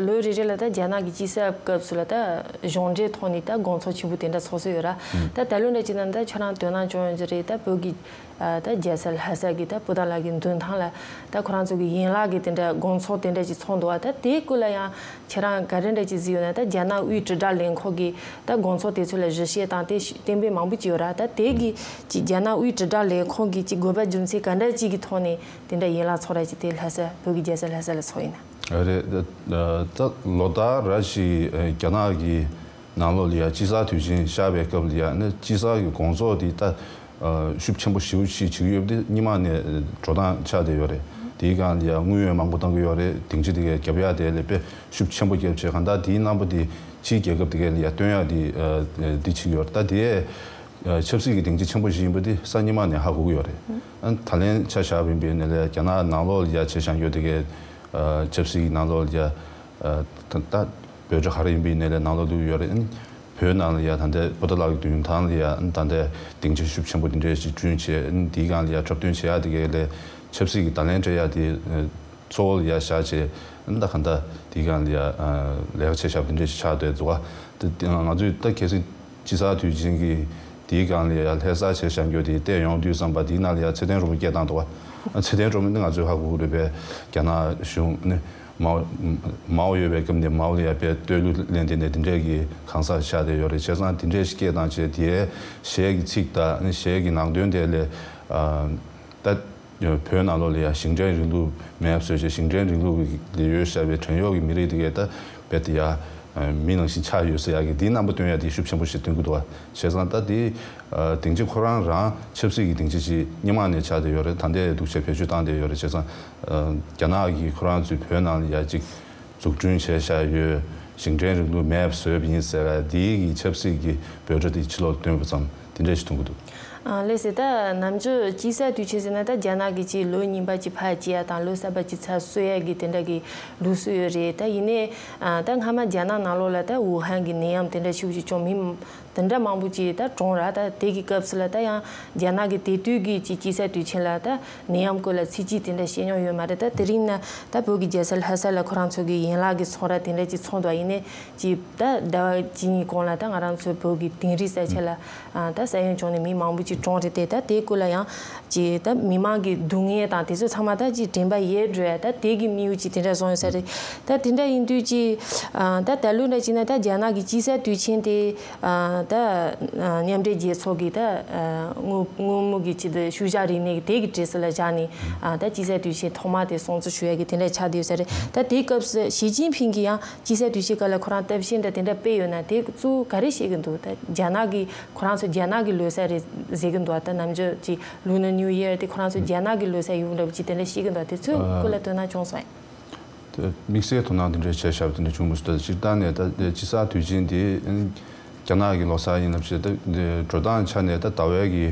ལོ་རེ་རེ་ལ་ད་རྒྱ་ནག་གི་དཔྱིད་གསར་སྐབས་སུ་ལ་ད་གཞུང་འབྲེལ་ཐོག་ནས་ད་དགོང་ཚོགས་ཆེན་པོ་དེ་འདྲ་ཚོགས་སྲོལ་ཡོད་ར། ད་ད་ལོ་འདྲ་བྱས་ན་ད་ཁྱོད་རང་དོ་སྣང་བྱུང་ཡོད་ཀྱི་རེད། ད་བོད་ཀྱི་ཨ་ད་རྒྱལ་ས་ལྷ་ས་གི་ད་སྤོ་ཏ་ལ་གི་མདུན་ཐང་ལ་ད་ཁོ་རང་ཚོ་གི་ཡན་ལག་གི་དེ་འདྲ་དགོང་ཚོགས་དེ་འདྲ་ཅིག་ཚོགས་འདུག་བ། ད་དེའི་སྐོར་ལ་ཡང་ཁྱེད་རང་ག་རེ་འདྲ་ཅིག་གཟིགས་ཡོད་ན། ད་རྒྱ་ནག་དབུས་དྲིལ་བསྒྲགས་ལས་ཁུངས་ཀྱི་ད་དགོང་ཚོགས་དེ་ཚོ་ལ་གཞི་བྱས་དང་དེ་གཏན་འབེབས་མང་པོ་ཅིག་ཡོད་ར། ད་དེ་གི་ཅིག་རྒྱ་ནག་དབུས་དྲིལ་བསྒྲགས་ལས་ཁུངས་ཀྱི་ཅིག་དགོས་པ་རྒྱུ་མཚན་ག་འདྲ་ཅིག་གི་ཐོག་ནས་དེ་འདྲ་ཡན་ལག་ཚོགས་ར་ཅིག་དེ་ལྷ་ས་བོད་ཀྱི་རྒྱལ་ས་ལྷ་ས་ལ་ཚོགས་ཡིན་ན། ཨ་རེད། ད་ད་ལོ་ལྟར་ར་ཞིག་རྒྱ་ནག་གི་ནང་ལོགས་ལ་ཡ་དཔྱིད་གསར་དུས་ཆེན་ཤར་བའི་སྐབས་ལ་ཡ་ནི་དཔྱིད་གསར་གྱི་དགོང་ཚོགས་དེ་ད་ཤུགས་ཆེན་པོ་ཞེ་པོ་ཅིག་བྱེད་ཀྱི་ཡོད་པ་དེ་སྔོན་མ་ནས་འགྲོ་སྟངས་ཆགས་བསྡད་ཡོད་རེད། དེའི་སྒང་ལ་ཡ་དངུལ་ཡང་མང་པོ་གཏོང་གི་ཡོད་རེད། སྡིངས་ཆ་དེ་གའི་རྒྱབ་ཡ་དེ་ལ་དཔེ་ཤུགས་ཆེན་པོ་བརྒྱབ་བྱས་གང་ལྟར་དེའི་རྣམ་པ་དེ་ཕྱིའི་རྒྱལ་ཁབ་དེ་གའི་ལ་ཡ་སྟོན་ཡ་དེ་འདི་བྱེད་ཀྱི་ཡོད་རེད། ད་དེ་ཆབ་སྲིད་ཀྱི་སྡིངས་ཆ་ཆེན་པོ་ཞིག་ཡིན་པ་དེ་གཟའ་ཉི་མ་ནས་ཧ་གོ་གི་ཡོད་རེད། ཨ་ད་ལན་ཆ་བཞག་པ་ཡིན་པ་ཡིན་ན་ལས་རྒྱ་ནག་ནང་ལོགས་ལ་ཡ་བྱས་བཞག་རྒྱུ་དེ་གའི་ཆབ་སྲིད་ཀྱི་ནང་ལོགས་ལ་ཡ་ད་ད་འབོད་སྒྲ་ག་རེ་ཡིན་པ་ཡིན་ན་ལས་ནང་ལོགས་བླུགས་ཡོད་རེད། བོད་ནང་ལ་ཡ་ད་ལྟའི་སྤོ་ཏ་ལགས་ཀྱི་མདུན་ཐང་ལ་ཡ་ད་ལྟའི་སྡིངས་ཆ་ཤུགས་ཆེན་པོ་དེ་འདྲས་ཞིག་བསྐྲུན་བྱས། དེའི་སྒང་ལ་ཡ་འཁྲབ་སྟོན་བྱེད་ཡ་དེ་གའི་ལས་ཆབ་སྲིད་ཀྱི་བརྡ་ལན་སྤྲད་ཡ་དེ་གཙོ་བོ་ལ་ཡ་བཞག་བྱས། ད་གང་ལྟར་དེའི་སྒང་ལ་ཡ་ལས་ཀ་བྱས་བཞག་པ་དེ་འདྲས་ཞིག་ཆགས་བསྡད་འདུག་བ། དེ་ང་ཚོས་ད་གལ་སྲིད་དཔྱིད་གསར་དུས་ཆེན་གྱི་དེའི་སྒང་ལ་ཡ་ལྷ་སར་བྱས་བཞག་རྒྱུ་དེ་བལྟས་ཡོང་དུས་ཙམ་པ། དེའི་ནང་ལ་ཡ་ཚེ་བརྟན་རོལ་མོ་སྐད་བཏང་འདུག་བ། ཚེ་བརྟན་རོལ་མོ་ནི་ང་ཚོས་ཧ་གོ་གི་རེད་པས། རྒྱ་ནག་གཞུང་ནི་མའོ་མའོ་ཡོད་པའི་སྐབས་ནས་མའོ་ལ་ཡ་དཔེ་བསྟོད་གླུ་ལེན་དེ་ནས་དེ་འདྲས་ཀྱི་གང་ཟག་ཆགས་བསྡད་ཡོད་རེད། བྱས་ཙང་དེ་འདྲས་ཤིག་སྐད་བཏང་བྱས་དེའི་གཞས་ཀྱི་ཚིག་དང་ནི་གཞས་ཀྱི་ནང་དོན་དེ་ལས་ཨ་ད་བོད་ནང་ལོགས་ལ་ཡ་ཞིང་བྲན་རིང་ལུགས་མེད་པ་བཟོས་བྱས། ཞིང་བྲན་རིང་ལུགས་ལ་ཡོད་བཞག་པའི་བྲན་གཡོག་གི་མི་རིགས་དེ་གས་ད་རྦད་དེ་ཡ་མི་ནང་བཞིན་ཆགས་ཡོད་ཟེར་ཡ་གི་དེའི་རྣམ་པ་སྟོན་ཡ་དེ་ཤུགས་ཆེན་པོ་ཞིག་སྟོན་གྱི་འདུག་བ། བྱས་ཙང་ད་དེ་སྡིངས་ཆ་ཁོ་རང་རང་ཆབ་སྲིད་ཀྱི་སྡིངས་ཆ་ཞིག་སྔོན་མ་ནས་ཆགས་བསྡད་ཡོད་རེད། ད་ལྟའི་འདུག་བྱས་བེད་སྤྱོད་བཏང་བསྡད་ཡོད་རེད། བྱས་ཙང་རྒྱ་ནག་གིས་ཁོ་རང་ཚོའི་བོད་ནང་ལ་ཡ་གཅིག་འཛུགས་སྐྲུན་བྱས་བཞག་ཡོད། ཞིང་བྲན་རིང་ལུགས་མེད་པ་བཟོས་པ་ཡིན་ཟེར་བ་དེའི་གི་ཆབ་སྲིད་ཀྱི་འབོད་སྒྲ་དེ་ཕྱི་ལོགས་བཏོན་པ་ཙམ་དེ་འདྲ་ཞིག་མཐོང་གི་འདུག་ཨ་ལགས་སེ། ད་ནམ་རྒྱུན་དཔྱིད་གསར་དུས་ཆེན་ཟེར་ན་ད་རྒྱ་ནག་གི་ཅིག་ལོ་རྙིང་པ་ཅིག་ཕར་བསྐྱལ་ཡ་དང་ལོ་གསར་པ་ཅིག་ཚུར་གསོལ་ཡ་གི་དེ་འདྲ་གི་ལུགས་སྲོལ་ཡོད་རེད། ད་ཡིན་ནའི་ཨ་ད་སྔ་མ་རྒྱ་ནག་ནང་ལོགས་ལ་ད་ཝུ་ཧན་གི་ནད་ཡམས་དེ་འདྲ་ཤུགས་ཆེ་བྱུང་མི་དེ་འདྲ་མང་པོ་ཅིག་ད་གྲོངས་ར། ད་དེ་གི་སྐབས་སུ་ལ་ད་ཡང་རྒྱ་ནག་གི་དེ་དུས་ཀྱི་ཅིག་དཔྱིད་གསར་དུས་ཆེན་ལ་ད་ནད་ཡམས་སྐོར་ལ་ཚིག་གཅིག་དེ་འདྲ་བཤད་མྱོང་ཡོད་མ་རེད། ད་དེ་རིང་ན་ད་བོད་ཀྱི་རྒྱལ་ས་ལྷ་ས་ལ་ཁོ་རང་ཚོ་གི་ཡན་ལག་གི་ཚོང་ར་དེ་འདྲ་ཅིག་ཚོགས་འདུག་ཡིན་ནའི་ཅིག་ད་ཟླ་བ་གཅིག་གཉིས་གོང་ལ་ད་ང་རང་ཚོ་བོད་ཀྱི་དིང་རི་ས་ཆ་ལ་ཨ་ད་ས་ཡོམ་བྱུང་ནས་མི་མང་པོ་ཅིག་གྲོངས་རེད་དེ། ད་དེའི་སྐོར་ལ་ཡང་ཅིག་ད་མི་མང་གི་སྡུག་བསྔལ་དང་དེ་ཚོ་ཚང་མ་ད་ཅིག་དྲན་པ་ཡལ་འགྲོ་ཡ་ད་དེ་གི་དམིགས་ཡུལ་ཅིག་དེ་འདྲ་བཟུང་ཡོད་ས་རེད། ད་དེ་འདྲ་ཡིན་དུས་ཅིག་ཨ་ད་ད་ལོ་འདྲ་ཅིག་ན་ད་རྒྱ་ནག་གི་དཔྱིད་གསར་དུས་ཆེན་དེ་ཨ་ད་ཨ་མཉམ་འབྲེལ་རྒྱལ་ཚོགས་ཀྱི་ད་ཨ་སྔོན་སྔོན་མོ་གི་ཆེད་དུ་ཤུལ་བཞག་རིག་གནས་ཀྱི་དེ་གི་གྲས་སུ་ལ་བཞག་ནས་ཨ་ད་དཔྱིད་གསར་དུས་ཆེན་ཐོག་མ་དེ་སྲུང་བརྩི་ཞུ་ཡ་གི་དེ་འདྲ་ཆགས་བསྡད་ཡོད་ས་རེད། ད་དེའི་སྐབས་སུ་ཞི་ཅིན་ཕིང་གིས་ཡང་དཔྱིད་གསར་དུས་ཆེན་སྐབས་ལ་ཁོ་རང་གཏམ་བཤད་འདྲ་དེ་འདྲ་སྤེལ་ཡོད་ན་དེ་གཙོ་བོ་ག་རེ་བཤད་ཀྱི་འདུག་ད་རྒྱ་ནག་གི་ཁོ་རང་ཚོ་རྒྱ་ནག་གི་ལོ་གསར་རེད་ཟེར་གྱི་འདུག་ད་ནམ་རྒྱུན་གྱི་ལུ་ནར་ནིའུ་ཡར་དེ་ཁོ་རང་ཚོ་རྒྱ་ནག་གི་ལོ་གསར་ཡོང་འདྲ་པོ་ཅིག་དེ་འདྲ་བཤད་ཀྱི་འདུག་དེ་ཚོའི་སྐོར་ལ་དོ་སྣང་བྱུང་སོང་ངས། དེ་དམིགས་བསལ་དོ་སྣང་དེ་འདྲ་བྱས་བཞག་པ་དེ་འདྲ་བྱུང་མི་སྲིད། ད་སྤྱིར་བཏང་ནས་ད་དེ་དཔྱིད་གསར་དུས་ཆེན་དེ་རྒྱ་ནག་གི་ལོ་གསར་ཡིན་ལབ་བྱས། ད་དེ་འགྲོ་སྟངས་ཆ་ནས་ད་ཟླ་བའི་གི་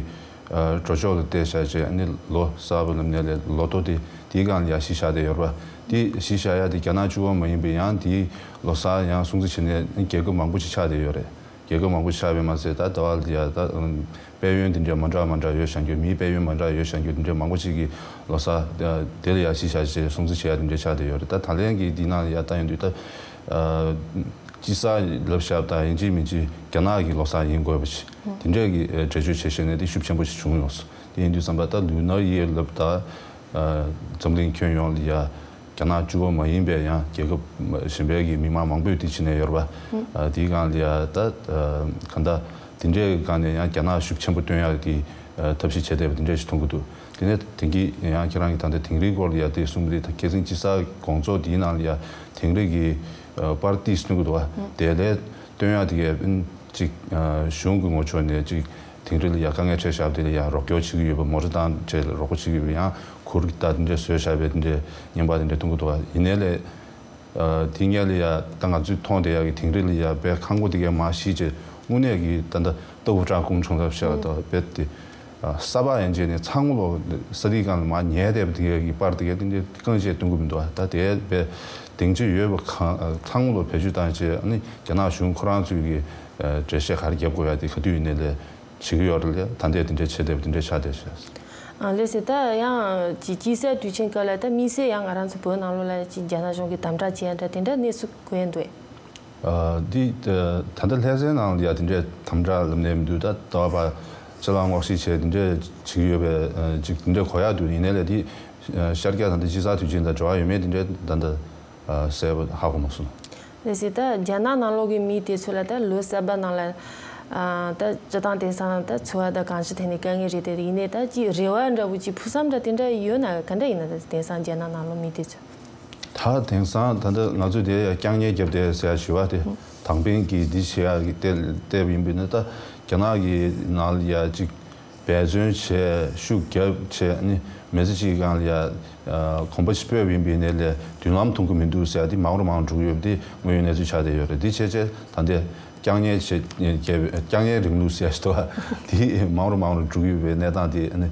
འགྲོ་ཕྱོགས་ལ་བལྟས་བཞག་བྱས་ནི་ལོ་གསར་པ་ལབ་ནས་ལས་ལོ་ཐོ་དེ་དེའི་སྒང་ལ་ཡ་གཞི་བཞག་བསྡད་ཡོད་རེད་པ། དེ་གཞི་བཞག་ཡ་དེ་རྒྱ་ནག་གཅིག་པོ་མ་ཡིན་པའི་ཡང་དེའི་ལོ་གསར་ཡང་སྲུང་བརྩི་བྱེད་ནས་རྒྱལ་ཁབ་མང་པོ་ཞིག་ཆགས་བསྡད་ཡོད་རེད། རྒྱལ་ཁབ་མང་པོ་ཆགས་པས་མ་ཟད་ད་ཟླ་བ་ལ་ཡ་ད་དཔལ་ཡོན་དེ་འདྲ་མ་འདྲ་མ་འདྲ་ཡོད་བཞག་རྒྱུ། མིའི་དཔལ་ཡོན་མ་འདྲ་ཡོད་བཞག་རྒྱུ་དེ་འདྲ་མང་པོ་ཞིག་གི་ལོ་གསར་དེ་ལ་ཡ་གཞི་བཞག་བྱས་སྲུང་བརྩི་བྱེད་ཡ་དེ་འདྲ་ཆགས་བསྡད་ཡོད་རེད། ད་ད་ལན་གྱི་འདི་ནང་ལ་ཡ་ལྟ་ཡོང་དུས་ད་དཔྱིད་གསར་ལབ་བཞག་པ་དང་ཡིན་གཅིག་མིན་གཅིག་རྒྱ་ནག་གི་ལོ་གསར་ཡིན་དགོས་པ་ཞིག་དེ་འདྲས་ཀྱི་འགྲེལ་བརྗོད་བྱེད་ཤེས་ནས་དེ་ཤུགས་ཆེན་པོ་ཞིག་བྱུང་ཡོང་སོང་། དེ་ཡིན་དུས་ཙམ་པ་ད་ལུ་ནར་ཡར་ལབ་ད་འཛམ་གླིང་ཁྱོན་ཡོངས་ལ་ཡ་རྒྱ་ནག་གཅིག་པོ་མ་ཡིན་པའི་ཡང་རྒྱལ་ཁབ་གཞན་པའི་གི་མི་མང་མང་པོས་དེ་བྱེད་ནས་ཡོད་རེད་པ། ཨ་དེའི་སྒང་ལ་ཡ་ད་ཨ་གང་ལྟར་དེ་འདྲའི་སྒང་ནས་ཡང་རྒྱ་ནག་ཤུགས་ཆེན་པོ་སྟོན་ཡག་གི་ཨ་ཐབས་ཤེས་བྱས་བསྡད་པ་དེ་འདྲ་ཞིག་མཐོང་གི་འདུག་དེ་ནས་དེང་གི་ཡང་ཁྱེད་རང་གི་ད་ལྟ་དིང་རིའི་སྐོར་ལ་ཡ་དེ་གསུངས་པ་དེ་ད་ཁ་སང་དཔྱིད་གསར་དགོང་ཚོགས་དེའི་ནང་ལ་ཡ་དིང་རི་གི་ཨ་པར་ཏི་སྟོན་གི་འདུག་པ། དེ་ལས་སྟོན་ཡག་དེ་གས་ཅིག་ཨ་གཞུང་གི་ངོས་ཕྱོགས་ནས་ཅིག་ དིང་རི་ལ་ཡ་དཀའ་ངལ་འཕྲད་བཞག་པ་དེ་ལ་ཡ་རོགས་སྐྱོར་བྱེད་ཀྱི་ཡོད་པ། མོ་ཊ་བཏང་བྱས་རོགས་པ་བྱེད་ཀྱི་ཡོད་པ། ཡང་གུར་གྱི་ད་དེ་འདྲས་བཟོས་བཞག་པའི་དེ་འདྲས་བརྙན་པར་དེ་འདྲས་མཐོང་གི་འདུག་ག། ཡིན་ནའི་ལས། ཨ། དེ་སྔོན་ལ་ཡ་ད་ང་ཚོས་མཐོང་བསྡད་ཡག་གི་དིང་རི་ལ་ཡ་དཔེ་ཁང་པ་དེ་གའི་མར་གཞིས་བྱས་དངོས་གནས་ཀྱི་ད་ལྟ་ལྟ་བུ་ཀྲང་ཀུང་ཁྲང་ལབ་བྱས་ད་དཔེ་དེ། ཨ། ས་ཕག་ཡན་ཆད་ནས་ཚང་མ་ལོ་ས་དེའི་སྒང་ལ་མར་ཉལ་བསྡད་པ་དེ་གའི་གི་པར་དེ་གའི་དེ་འདྲའི་རྐང་བཅད་སྟོན་གི་མི་འདུག་ཨ། ད་དེ་དཔེ་སྡིངས་ཆ་ཡོད་པ་གང་ཚང་མ་ལོ་བེད་སྤྱོད་བཏང་བྱས། ཨ་ནི་རྒྱ་ནག་གཞུང་ཁོ་རང་ཚོས་ཀྱི་ཨ་འགྲེལ་བཤད་ག་རེ་རྒྱབ་དགོས་ཡ་དེ་ག་དུས་ཡིན་ནའི་ལས་བྱེད་ཀྱི་ཡོད་རེད་ལས། ད་ལྟའི་དེ་འདྲའི་བྱེད་བསྡད་པ་དེ་འདྲའི་ཆགས་བསྡད་བྱས། ཨ། ལགས་སེ། ད་ཡང་ཅིག་དཔྱིད་གསར་དུས་ཆེན་སྐབས་ལ་ད་དམིགས་བསལ་ཡང་ང་རང་ཚོ་བོད་ནང་ལོགས་ལ་ཅིག་རྒྱ་ནག་གཞུང་གིས་དམ་དྲག་བྱེད་ཡ་འདྲ་དེ་འདྲ་གནས་ཚུལ་གོ་ཡ་འདུག་གས། ཨ། འདི་ད་ལྟ་ལྷ་སའི་ནང་ལ་ཡ་དེ་འདྲའི་དམ་དྲག་ལབ་ནས་མི་འདུག་ད་ལྟ་བ་ཕྱི་ལ་སྔོག་བཤེར་བྱས་དེ་འདྲའི་བྱེད་ཀྱི་ཡོད་པའི་ཅིག་དེ་འདྲའི་གོ་ཡ་འདུག་ཡིན་ནའི་ལས་དེ་ཤར་རྒྱག་ད་ལྟ་དཔྱིད་གསར་དུས་ཆེན་དང་འབྲེལ་བ་ཡོད་མེད་དེ་འདྲའི་ད་ལྟ་ཨ་གསལ་པོ་ཧ་གོ་མ་སོང་། ལགས་སེ། ད་རྒྱ་ནག་ནང་ལོགས་ཀྱི་མི་དེ་ཚོ་ལ་ད་ལོ་གསར་པ་ནང་ལ་ཨ་ད་སྤྱིར་བཏང་དེང་སང་ད་འཚོ་བ་དང་གང་ཅིའི་ཐད་ནས་དཀའ་ངལ་རེད་དེ། ཡིན་ནའི་ད་ཅིག་རེ་བ་འདྲ་བོ་ཅིག་ཕུགས་བསམ་འདྲ་དེ་འདྲ་ཡོད་ན། ག་འདྲ་ཡིན་ན། ད་དེང་སང་རྒྱ་ནག་ནང་ལོགས་མི་དེ་ཚོ། ད་དེང་སང་ད་ལྟ་ང་ཚོས་དེ་ཡ་རྐྱང་ཉལ་རྒྱབ་བསྡད་ཟེར་ཡ་ཞུ་བ་དེ། དང་པིན་གྱིས་འདི་བྱེད་ཡ་གི་བལྟས་བལྟས་པ་ཡིན་པས་ན། ད་རྒྱ་ནག་གི་ནང་ལ་ཡ་ཅིག་འབད་བརྩོན་བྱས་ཤུགས་རྒྱབ་བྱས་ནི་མི་ཚེ་གཅིག་གི་སྒང་ལ་ཡ་གོམ་པ་ཞིག་སྤོས་པ་ཡིན་པས་ན་ལས་མདུན་ལམ་མཐོང་གི་མི་འདུག་ཟེར་ཡ་དེ་མང་རུ་མང་རུ་འགྲོ་གི་ཡོད་པ་དེ་དངོས་ཡོད་གནས་ཚུལ་ཆགས་བསྡད་ཡོད་རེད། འདི་བྱས་བྱས་ད་ལྟའི་རྐྱང་ཉལ་བྱས་རྒྱབ་རྐྱང་ཉལ་རིང་ལུགས་ཟེར་ཡ་ཞིག་འདུག་བ། དེ་མང་རུ་མང་རུ་འགྲོ་གི་ཡོད་པའི་གནས་སྟངས་དེ་ནི་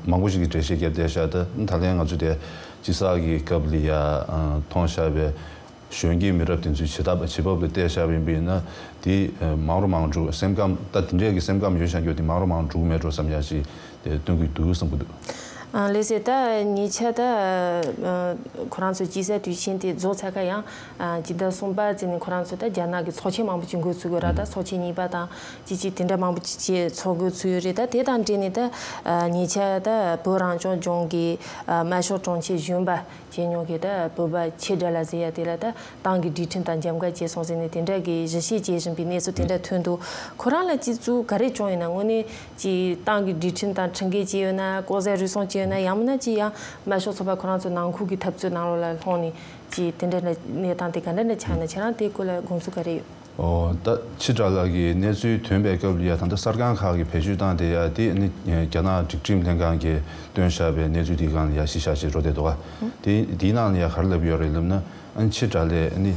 མང་པོ་ཞིག་གིས་འགྲེལ་བཤད་བརྒྱབ་བསྡད་ཤག་ད་ད་ལན་ང་ཚོ་དེ་དཔྱིད་གསར་གྱི་སྐབས་ལ་ཡ་མཐོང་བཞག་པའི་གཞོན་སྐྱེས་མི་རབས་དེ་ཚོའི་བྱེད་ཐབས་བྱེད་བབ་ལ་བལྟས་བཞག་པ་ཡིན་པས་ན། དེ་མང་རུ་མང་རུ་འགྲོ། སེམས་ཁམས་ད་དེ་འདྲའི་གི་སེམས་ཁམས་ཡོད་བཞག་རྒྱུ་དེ་མང་རུ་མང་རུ་འགྲོ་གི་མེད་འགྲོ་བསམ་ཡ་ཞིག་དེ་སྟོན་གྱི་འདུག་བསམ་གྱི་འདུག་ཨ། ལགས་སེ། ད་ཉེ་ཆར་ད་ཨ་ཁོ་རང་ཚོ་དཔྱིད་གསར་དུས་ཆེན་དེ་རྫོགས་ཚར་ཁ་ཡང་ཨ་སྤྱི་ཟླ་གསུམ་པ་ཙམ་ནས་ཁོ་རང་ཚོ་ད་རྒྱ་ནག་གི་ཚོགས་ཆེན་མང་པོ་ཅིག་འགོ་ཚུགས་ཀྱི་ར། ད་ཚོགས་ཆེན་གཉིས་པ་དང་ཅིག་ཅིག་དེ་འདྲ་མང་པོ་ཅིག་ཅིག་ཚོགས་འགོ་ཚུགས་ཡོད་རེད། ད་དེ་དང་འབྲེལ་ནས་ད་ཨ་ཉེ་ཆར་ད་བོད་རང་སྐྱོང་ལྗོངས་ཀྱི་ཨ་དམར་ཤོག་དྲུང་ཆེ་གཞོན་པ་བྱས་མྱོང་མཁན་ད་བོད་པ་ཆེ་དགྲ་ལགས་ཟེར་ཡ་དེ་ལ་ད་ཏང་གི་སྒྲིག་ཁྲིམས་དང་འཇམ་དཀའ་བྱས་སོང་ཟེར་ནས་དེ་འདྲ་གི་ཞིབ་བཤེར་བྱེད་བཞིན་པའི་གནས་ཚུལ་དེ་འདྲ་ཐོན་འདུག་ཁོ་རང་ལ་སྤྱི་གཙུག་ག་རེ་བྱུང་ཡོད་ན། དངོས་གནས་ཀྱི་ཏང་གི་སྒྲིག་ཁྲིམས་དང་ཁྲིམས་འགལ་བྱས་ཡོད་ན། ལྐོག་ཟ་རུལ་སུངས་བྱས་ཡོད་ན། ཡང་མིན་ན་ཅི་ཡང་དམར་ཤོག་ཚོགས་པ་ཁོ་རང་ཚོ་ནང་ཁུལ་གྱི་འཐབ་རྩོད་ནང་ལོགས་ལ་ལྷུང་ནས་ཀྱི་དེ་འདྲ་གནས་སྟངས་དེ་ག་འདྲ་འདྲ་ཆགས་ཡོད་ན། ཁྱེད་རང་དེའི་སྐོར་ལ་དགོངས་ཚུལ་ག་རེ་ཡོད། ཨོ། ད་ཕྱི་དགྲ་ལག་གི་གནས་ཚུལ་ཐོན་པའི་སྐབས་ལ་ཡ་ད་ལྟ་གསར་ཁང་ཁག་གིས་བེད་སྤྱོད་བཏང་བསྡད་ཡ་དེ་ནི་རྒྱ་ནག་སྒྲིག་ཁྲིམས་ལྷན་ཁང་གིས་བཏོན་བཞག་པའི་གནས་ཚུལ་དེའི་སྒང་ལ་ཡ་གཞི་བཞག་བྱས་འགྲོ་བསྡད་འདུག་ག། དེ་དེའི་ནང་ལ་ཡ་ག་རེ་ལབ་ཡོད་རེད་ལབ་ན། ཨ་ནི་ཕྱི་དགྲ་ལས་ཨ་ནི་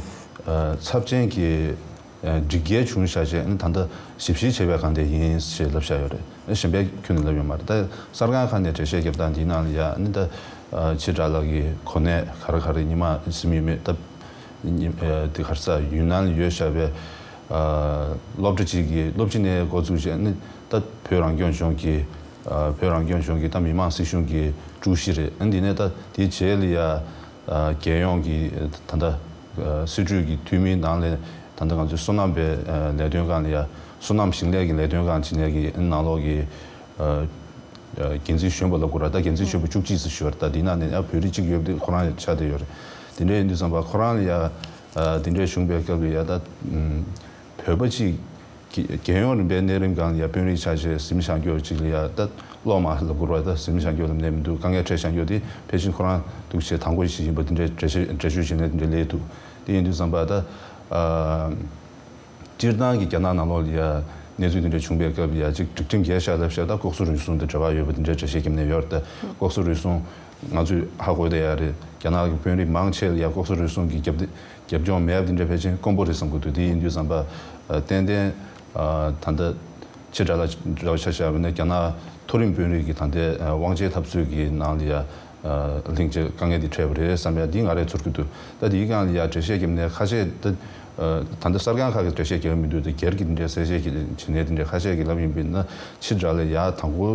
ཚབས་ཆེན་གྱི་སྒྲིག་འགལ་བྱུང་བཞག་བྱས། ཨ་ནི་ད་ལྟ་ཞིབ་བཤེར་བྱེད་པའི་སྒང་དེ་ཡིན་ཞེས་ལབ་བཞག་ཡོད་རེད། གཞན་པའི་ཁྱོན་ནས་ལབ་ཡོད་མ་རེད། ད་གསར་ཁང་ཁག་ནས་འགྲེལ་བཤད་བརྒྱབ་སྟངས་འདིའི་ནང་ལ་ཡ་ཨ་ནི་ད་ཕྱི་དགྲ་ལག་གི་གོ་གནས་ག་རེ་ག་རེ་ཉི་མ་ཟིན་ཡོད་མེད། ད་དེ་ག་རེ་ཟ། ཡུན་ནན་ལ་ཡོད་བཞག་པའི་སློབ་གྲྭ་གཅིག་གི་སློབ་སྤྱི་ནས་འགོ་བཙུགས་བྱས་ཨ་ནི་ད་བོད་རང་སྐྱོང་ལྗོངས་ཀྱི་བོད་རང་སྐྱོང་ལྗོངས་ཀྱི་ད་མི་དམངས་སྲིད་གཞུང་གི་ཀྲུའུ་ཞི་རེད། ཨ་ནི་དེ་ནས་ད་དེའི་རྗེས་ལ་ཡ་རྒྱལ་ཡོངས་ཀྱི་ད་ལྟ་སྲིད་གྲོས་ཀྱི་འཐུས་མིའི་ནང་ལས་ད་ལྟ་ང་ཚོའི་སོ་ནམ་པའི་ལས་དོན་ཁང་ལ་ཡ། སོ་ནམ་ཞིང་ལས་ཀྱི་ལས་དོན་ཁང་ཆེད་ལས་ཀྱི་ནང་ལོགས་ཀྱི་འགན་འཛིན་གཞོན་པ་ལབ་དགོས་ར། ད་འགན་འཛིན་གཞོན་པ་བཅུ་གཅིག་ཙམ་ཞུ་བ་རེད། ད་འདི་ནང་ནས་ཡང་བོད་རིགས་གཅིག་ཡོད་པ་དེ་ཁོ་རང་ཆགས་བསྡད་ཡོད་རེད། དེ་འདྲ་ཡིན་དུས་ཙམ་པ་ཁོ་རང་ལ་ཡ་དེ་འདྲའི་བྱུང་བའི་སྐབས་ལ་ཡ་ད་བོད་པ་གཅིག་གི་རྒྱལ་ཡོངས་རིམ་པའི་གནས་རིམ་སྒང་ལ་ཡ་དཔོན་རིགས་ཆགས་བྱས་གཟིམ་ཤང་སྐྱོར་གཅིག་ལ་ཡ་ད་སློབ་མ་ལབ་དགོས་ར། ད་གཟིམ་ཤང་སྐྱོར་ལབ་ནས་མི་འདུག་དཀའ་ངལ་འཕྲད་ཤང་སྐྱོར་དེ་ཕལ་ཆེར་ཁོ་རང་འདུག་བྱས་དང་པོ་ཞིག་ཡིན་པ་དེ་འདྲའི་འགྲེལ་བཤད་འགྲེལ་བརྗོད་བྱས་ནས་དེ་འདྲའི་སླེབས་འདུག་དེ་ཡིན་དུས་ཙམ་པ་ད་སྤྱིར་བཏང་གི་རྒྱ་ནག་ནང་ལོགས་ལ་ཡ་གནས་ཚུལ་འདི་འདྲ་བྱུང་བའི་སྐབས་ལ་ཡ་གཅིག་སྒྲིག་ཁྲིམས་འགལ་བཞག་ལབ་བཞག་ད་ལྐོག་ཟ་རུལ་སུངས་དང་འབྲེལ་བ་ཡོད་པ་འདི་འདྲའི་འགྲེལ་བཤད་བརྒྱབ་ནས་ཡོད་རེད། ད་ལྐོག་ཟ་རུལ་སུངས་ང་ཚོས་ཧ་གོ་བསྡད་ཡ་རེད། རྒྱ་ནག་གི་དཔོན་རིགས་མང་ཆེ་ལ་ཡ་ལྐོག་ཟ་རུལ་སུངས་ཀྱི་རྒྱབ་རྒྱབ་ལྗོངས་མེད་པ་འདི་འདྲ་ཕལ་ཆེར་དཀོན་པོ་རེད་བསམ་གྱི་འདུག་དེ་ཡིན་དུས་ཙམ་པ་ཏན་ཏན་ད་ལྟ་ཕྱི་དགྲ་ལ་འདྲ་བ་ཆ་བཞག་པ་ཡིན་ན་རྒྱ་ནག་མཐོ་རིམ་དཔོན་རིགས་ཀྱི་ད་ལྟའི་དབང་ཆའི་འཐབ་རྩོད་ཀྱི་ནང་ལ་ཡ། ལྷིང་ཆེ་དཀའ་ངལ་འདི་འཕྲད་པ་རེད་བསམ་ཡ་འདི་ང་རང་ཚོར་གྱི་འདུག་ད་འདིའི་སྒང་ལ་ཡ་འགྲེལ་བཤད་བརྒྱབ་ནས་ཁ་ཤས་ད་ད་ལྟ་གསར་ཁང་ཁག་གིས་འགྲེལ་བཤད་བརྒྱབ་མི་འདུག་ད་སྒེར་གྱི་འདི་འདྲའི་གསལ་བཤད་ཀྱི་བྱེད་གནས་འདི་འདྲའི་ཁ་ཤས་ཀྱིས་ལབ་ཡིན་པས་ན། ཕྱི་དགྲ་ལ་ཡ་དང་པོ་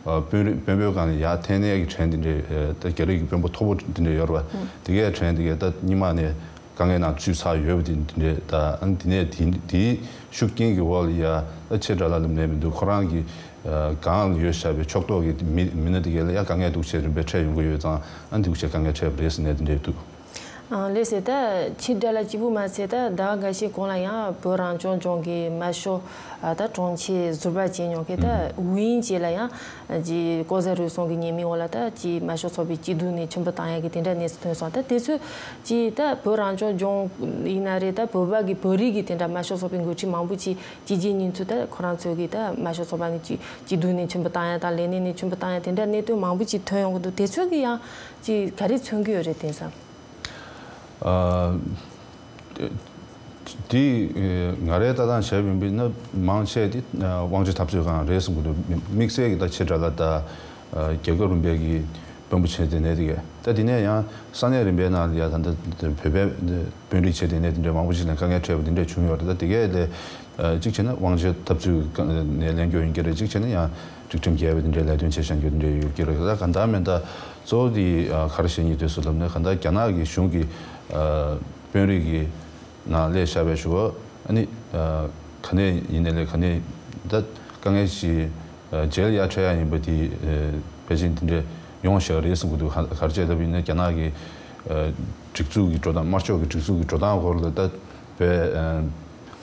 དཔོན་རིགས་དཔོན་པོའི་སྒང་ལ་ཡ་འཐེན་ནས་ཀྱི་དྲན་འདི་འདྲའི་ད་རྒྱ་རིགས་ཀྱི་དཔོན་པོ་མཐོ་པོ་འདི་འདྲའི་ཡོད་རེད་པ། དེ་གའི་དྲན་དེ་གའི་ད་སྔོན་མ་ནས་དཀའ་ངལ་ནང་ཚུད་ཚར་ཡོད་པ་དེ་འདི་འདྲའི་ད་ཨ་ནི་དེ་ནས་དེ་དེའི་ཤུགས་རྐྱེན་གྱི་འོག་ལ་ཡ་ད་ཕྱི་དགྲ་ལ་ལབ་ནས་མི་འདུག་ཁོ་རང་གི་སྒང་ལ་ཡོད་བཞག་པའི་ཕྱོགས་གཏོགས་ཀྱི་མི་མི་སྣ་དེ་གའི་ལ་ཡ་དཀའ་ངལ་འདུག་བྱས་རིམ་པས་འཕྲད་ཡོང་གི་ཡོད་ཙང་ཨ་ནི་འདུག་བྱས་དཀའ་ངལ་འཕྲད་པ་རེད་ཟེར་ནས་དེ་འདྲའི་འདུག་ཨང་། ལགས་སོ། ད་ཕྱི་དགྲ་ལ་སྐྱིད་པོ་མ་ཟད། ད་ཟླ་བ་འགའ་ཤས་གོང་ལ་ཡང་བོད་རང་སྐྱོང་ལྗོངས་ཀྱི་དམར་ཤོག་ཨ་ད་དྲུང་ཆེ་ཟུར་པ་བྱས་མྱོང་མཁན་ད་ཝུའུ་དབྱིང་ཅེ་ལ་ཡང་ཅིག་ལྐོག་ཟ་རུལ་སུངས་ཀྱི་ཉེས་མིང་འོག་ལ་ད་ཅིག་དམར་ཤོག་ཚོགས་པའི་སྐྱིད་སྡུག་ནས་ཆེན་པོ་བཏང་ཡག་གི་དེ་འདྲ་གནས་ཚུལ་ཐོན་སོང་། ད་དེ་ཚོས་ཅིག་ད་བོད་རང་སྐྱོང་ལྗོངས་ཡིན་ན་རེད། ད་བོད་པ་གི་བོད་རིགས་ཀྱི་དེ་འདྲ་དམར་ཤོག་ཚོགས་པའི་འགོ་ཁྲིད་མང་པོ་ཅིག་ཅིག་ཅིག་ཉིན་ཚུལ་ད་ཁོ་རང་ཚོས་ཀྱི་ད་དམར་ཤོག་ཚོགས་པ་ནས་ཅིག་སྐྱིད་སྡུག་ནས་ཆེན་པོ་བཏང་ཡག་དང་ལས་གནས་ནས་ཆེན་པོ་བཏང་ཡག་དེ་འདྲ་གནད་དོན་མང་པོ་ཅིག་ཐོན་ཡོང་གི་འདུག་དེ་ཚོ་གི་ཡང་ཅིག་ག་རེ་མཚོན་གྱི་ཡོད་རེད་དེང་སང་། ཨ། དེ་ང་རའི་ལྟ་སྟངས་བྱས་པ་ཡིན་པ་ན་མང་ཆེ་དེ་དབང་ཆ་འཐབ་རྩོད་སྒང་རེད་བསམ་གྱི་འདུག་དམིགས་བསལ་གྱི་ད་ཕྱི་དགྲ་ལ་ད་རྒྱལ་ཁབ་རིམ་པའི་གི་དཔོན་པོ་བྱས་དེ་ནས་དེ་གས་ད་དེ་ནས་ཡང་ས་གནས་རིམ་པའི་ནང་ལ་ཡ་ད་ལྟ་བོད་པའི་དཔོན་རིགས་བྱས་དེ་ནས་དེ་འདྲའི་མང་པོ་ཞིག་ལ་དཀའ་ངལ་འཕྲད་པ་དེ་འདྲ་བྱུང་ཡོད་རེད། ད་དེ་གས་ལས་གཅིག་བྱས་ན་དབང་ཆ་འཐབ་རྩོད་ནས་ལེན་རྒྱུ་ཡིན་གྱི་རེད། གཅིག་བྱས་ན་ཡང་སྒྲིག་ཁྲིམས་འགལ་བའི་དེ་འདྲའི་ལས་དོན་བྱས་བཞག་རྒྱུ་དེ་འདྲ་ཡོད་ཀྱི་རེད། ད་ག་འདྲ་མིན་ད་གཙོ་བོ་དེ་ག་རེ་བཤད་སྙིང་འདོད་སོང་ལབ་ན། ག་འདྲ་རྒྱ་ནག་གི་གཞུང་གི་དཔོན་རིགས་ཀྱི་ནང་སླེབས་བཞག་པའི་ཞུ་བ་ཨ་ནི་ག་ནས་ཡིན་ནའི་ལས་ག་ནས་ད་དཀའ་ངལ་ཞིག་རྗེས་ལ་ཡར་འཕྲད་ཡག་ཡིན་པ་དེ་ཕལ་ཆེར་དེ་འདྲ་ཡོང་བཞག་རེད་བསམ་གྱི་འདུག་ག་རེ་བྱས་ལབ་ཡིན་ན་རྒྱ་ནག་གི་སྒྲིག་འཛུགས་ཀྱི་འགྲོ་སྟངས་དམར་ཕྱོགས་ཀྱི་སྒྲིག་འཛུགས་ཀྱི་འགྲོ་སྟངས་སྐོར་ལ་ད་བས་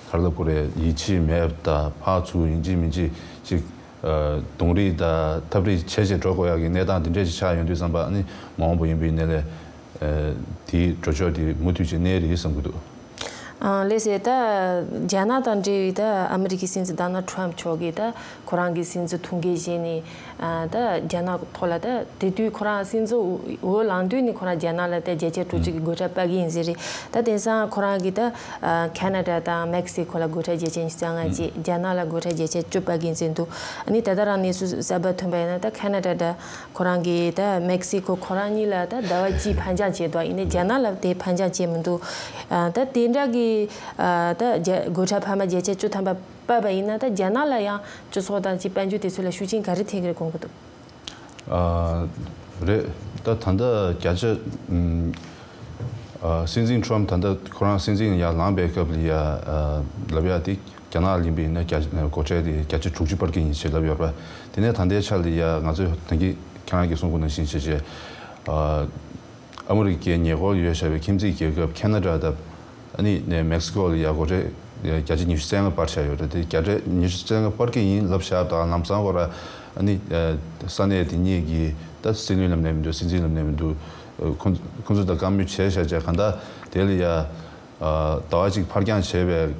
ག་རེ་ལབ་དགོས་རེད། ཡིད་ཆེས་མེད་པ་དང་ཕར་ཚུར་ཡིན་གཅིག་མིན་གཅིག་ཅིག་རྡུང་རེས་དང་འཐབ་རེས་བྱས་བྱས་འགྲོ་དགོས་ཡག་གི་གནས་སྟངས་དེ་འདྲས་ཅིག་ཆགས་ཡོང་དུས་ཙམ་པ་ཨ་ནི་མ་འོངས་པ་ཡིན་པའི་ནས་ལས་དེའི་འགྲོ་ཕྱོགས་དེ་མུ་མཐུད་ཅིག་གནས་རེད་བསམ་གྱི་འདུག་ཨང་། ལགས་སོ། ད་རྒྱ་ནག་དང་འབྲེལ་བའི་ད་ཨ་མི་རི་ཀའི་སྲིད་འཛིན་ཌོ་ནལ་ཊམ་མཆོག་གིས་ད་ཁོ་རང་གི་སྲིད་འཛིན་ཐུགས་འགན་བཞེས་ནས་ཨ་ད་རྒྱ་ནག་ཐོག་ལ་ད་དེ་དུས་ཁོ་རང་སྲིད་འཛིན་འོས་ལངས་དུས་ནས་ཁོ་རང་རྒྱ་ནག་ལ་ད་བརྒྱ་ཆ་དྲུག་ཅུ་གི་སྒོ་ཁྲལ་སྤར་གི་ཡིན་ཟེར་རེད། ད་དེང་སང་ཁོ་རང་གིས་ད་ཨ་ཁེ་ན་ཌ་དང་མེག་སི་ཁོ་ལ་སྒོ་ཁྲལ་བརྒྱ་ཆ་ཉི་ཤུ་རྩ་ལྔ་བཅས་རྒྱ་ནག་ལ་སྒོ་ཁྲལ་བརྒྱ་ཆ་བཅུ་སྤར་གི་ཡིན་ཟེར་འདུག་ཨ་ནི་ད་ལྟ་རང་གནས་ཚུལ་གསར་པ་ཐོན་པ་ཡིན་ན་ད་ཁེ་ན་ཌ་དང་ཁོ་རང་གིས་ད་མེག་སི་ཁོ་ཁོ་རང་གཉིས་ལ་ད་ཟླ་བ་གཅིག་ཕན་ཆད་བྱས་འདུག་ཡིན་ནའི་རྒྱ་ནག་ལ་དེ་ཕན་ཆད་བྱས་མི་འདུག་ཨ་ད་དེ་འདྲ་གི་ཨ་ད་རྒྱ་སྒོ་ཁྲལ་འཕར་མ་བརྒྱ་ཆ་བཅུ་ཐམ་པ་སྤར་བ་ཡིན་ན་ད་རྒྱ་ནག་ལ་ཡང་སྤྱི་ཚོགས་དང་ཅིག་དཔལ་འབྱོར་དེ་ཚོ་ལ་ཤུགས་རྐྱེན་ག་རེ་ཐེབས་ཀྱི་རེད་དགོངས་ཀྱི་འདུག་ཨ་རེད། ད་ད་ལྟ་བརྒྱ་ཆ་ཨ་སྲིད་འཛིན་ཊམ་ད་ལྟ་ཁོ་རང་སྲིད་འཛིན་ཡར་ལངས་པའི་སྐབས་ལ་ཡ་ཨ་ལབ་ཡ་དེ་རྒྱ་ནག་ལ་ཡིན་པ་ཡིན་ན་བརྒྱ་སྒོ་ཁྲལ་དེ་བརྒྱ་ཆ་དྲུག་ཅུ་སྤར་གི་ཡིན་ཞེས་ལབ་ཡོད་རེད་པ། དེ་ནས་ད་ལྟའི་ཆ་ལ་ཡ་ང་ཚོས་ད་གིན་ཁྱེད་རང་གིས་གསུང་གོ་ནང་བཞིན་བྱས་བྱས་ཨ་ཨ་མི་རི་ཀའི་ཉེ་འཁོར་ཡོད་བཞག་པའི་ཁྱིམ་མཚེས་རྒྱལ་ཁབ་ཁེ་ན་ཌ་དང་ཨ་ནི་ནས་མེག་སི་ཀོ་ལ་ཡ་སྒོ་ཁྲལ་བརྒྱ་ཆ་ཉི་ཤུ་རྩ་ལྔ་སྤར་བཞག་ཡོད་རེད། དེ་བརྒྱ་ཆ་ཉི་ཤུ་རྩ་ལྔ་སྤར་གི་ཡིན་ལབ་བཞག་དང་ལམ་སང་ཁོ་ར་ཨ་ནི་ས་གནས་དེ་གཉིས་ཀྱི་ད་སྲིད་བློན་ལབ་ནས་མི་འདུག་སྲིད་འཛིན་ལབ་ནས་མི་འདུག་ཁོ་ཁོ་ཚོ་དང་བཀའ་མོལ་བྱས་བཞག་བྱས་གང་ལྟར་དེ་ལ་ཡ་ཟླ་བ་གཅིག་ཕར་འགྱངས་བྱས་པའི་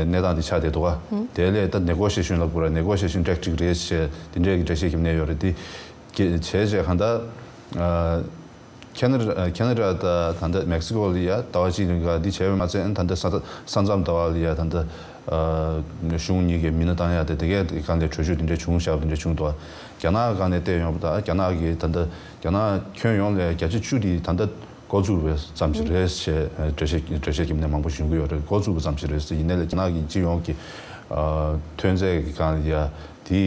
གནས་སྟངས་དེ་ཆགས་བསྡད་འདུག་ག་དེ་ལས་ད་ནེ་གོ་ཤི་ཡེ་ཤན་ལབ་དགོས་རེད། ནེ་གོ་ཤི་ཡེ་ཤན་ཊེག་ཊིག་རེད་ཞེས་དེ་འདྲས་ཀྱི་འགྲེལ་བཤད་བརྒྱབ་ནས་ཡོད་རེད། དེ་བྱས་བྱས་གང་ལྟར། ཁེ་ན་ཁེ་ན་ཌ་དང་ད་ལྟ་མེག་སི་ཀོ་ལ་ཡ་ཟླ་བ་གཅིག་རིང་ག་འདི་བྱས་པ་མ་ཚད་ད་ལྟ་ས་ས་མཚམས་ཟླ་བ་ལ་ཡ་ད་ལྟ་གཞུང་གཉིས་ཀྱི་མི་སྣ་བཏང་ཡ་དེ་དེ་གའི་སྒང་ལ་གྲོས་ཆོད་དེ་འདྲ་བྱུང་བཞག་པ་དེ་འདྲ་བྱུང་འདུག་རྒྱ་ནག་སྒང་ནས་བལྟས་ཡོང་བ་དང་རྒྱ་ནག་གི་ད་ལྟ་རྒྱ་ནག་ཁྱོན་ཡོངས་ལ་བརྒྱ་ཆ་བཅུ་དེ་ད་ལྟ་འགོ་བཙུགས་པ་ཙམ་ཞིག་རེད་ཞེས་འགྲེལ་བཤད་འགྲེལ་བཤད་རྒྱབ་ནས་མང་པོ་ཞིག་ཡོང་གི་ཡོད་རེད། འགོ་བཙུགས་པ་ཙམ་ཞིག་རེད་ཟེར། ཡིན་ནའི་ལས་རྒྱ་ནག་གི་སྤྱི་ཡོངས་ཀྱི་ཐོན་རྫས་ཀྱི་སྒང་ལ་ཡ་དེ།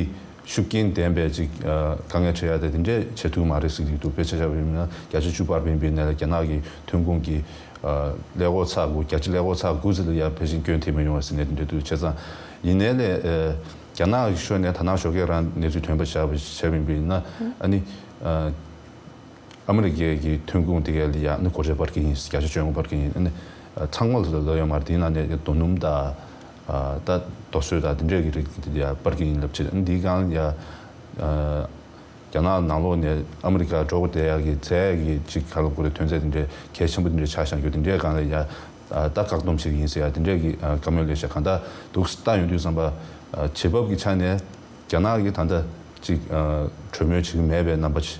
ཤུགས་རྐྱེན་ལྡན་པའི་ཅིག་དཀའ་ངལ་འཕྲད་ཡ་དེ་དེ་འདྲས་བྱེད་ཐུབ་མ་རེད་ཟེར་གྱི་འདུག་དཔེ་ཆ་བཞག་པ་ཡིན་ན་བརྒྱ་ཆ་བཅུ་སྤར་བ་ཡིན་པའི་ནས་ལ་རྒྱ་ནག་གི་ཐོན་ཁུངས་ཀྱི་ཀླད་ཀོར་ཚེག་དགུ་བརྒྱ་ཆ་ཀླད་ཀོར་ཚེག་དགུ་ཙམ་ལ་ཡ་ཕལ་ཆེར་སྐྱོན་ཐེབས་མ་ཡོང་བ་ཟེར་ནས་དེ་འདྲས་འདུག་བྱས་ཙང་ཡིན་ནའི་ལས་རྒྱ་ནག་གི་ཕྱོགས་ནས་ད་ནང་ཞོགས་ཀས་རང་གནས་ཚུལ་ཐོན་པ་བཞག་པ་བྱས་པ་ཡིན་པ་ཡིན་ན་ཨ་ནི། ཨ་མི་རི་ཀའི་གི་ཐོན་ཁུངས་དེ་གའི་ལ་ཡ་ནི་སྒོ་ཁྲལ་སྤར་གི་ཡིན། བརྒྱ་ཆ་བཅོ་ལྔ་སྤར་གི་ཡིན། ཨ་ནི་ཚང་མ་ལ་ལབ་ཡོད་མ་རེད། དེའི་ནང་ནས་རྡོ་སྣུམ་དང་ད་རྡོ་སོལ་དང་དེ་འདྲས་ཀྱི་རིགས་དེ་ཡ་སྤར་གི་ཡིན་ལབ་བྱས། ཨ་ནི་འདིའི་སྒང་ཡ་རྒྱ་ནག་ནང་ལོགས་ནས་ཨ་མི་རི་ཀ་འགྲོ་དགོས་བསྡད་ཡ་གི་རྫས་ཀྱི་ཅིག་ག་ལབ་དགོས་རེད། ཐོན་རྫས་དེ་འདྲས་གལ་ཆེན་པོ་དེ་འདྲས་ཆགས་བཞག་རྒྱུ་དེ་འདྲས་སྒང་ལ་ཡ་ད་བཀག་སྡོམ་བྱེད་ཀྱི་ཡིན་ཟེར་ཡ་དེ་འདྲས་ཀྱི་བཀའ་མོལ་སླེབས་ཤག་གང་ལྟར་འདུག་ལྟ་ཡོང་དུས་ཙམ་པ་བྱེད་བབ་ཀྱི་ཆ་ནས་རྒྱ་ནག་གིས་ད་ལྟ་ཅིག་གྲོས་མོལ་བྱེད་ཀྱི་མེད་པའི་རྣམ་པ་ཅིག་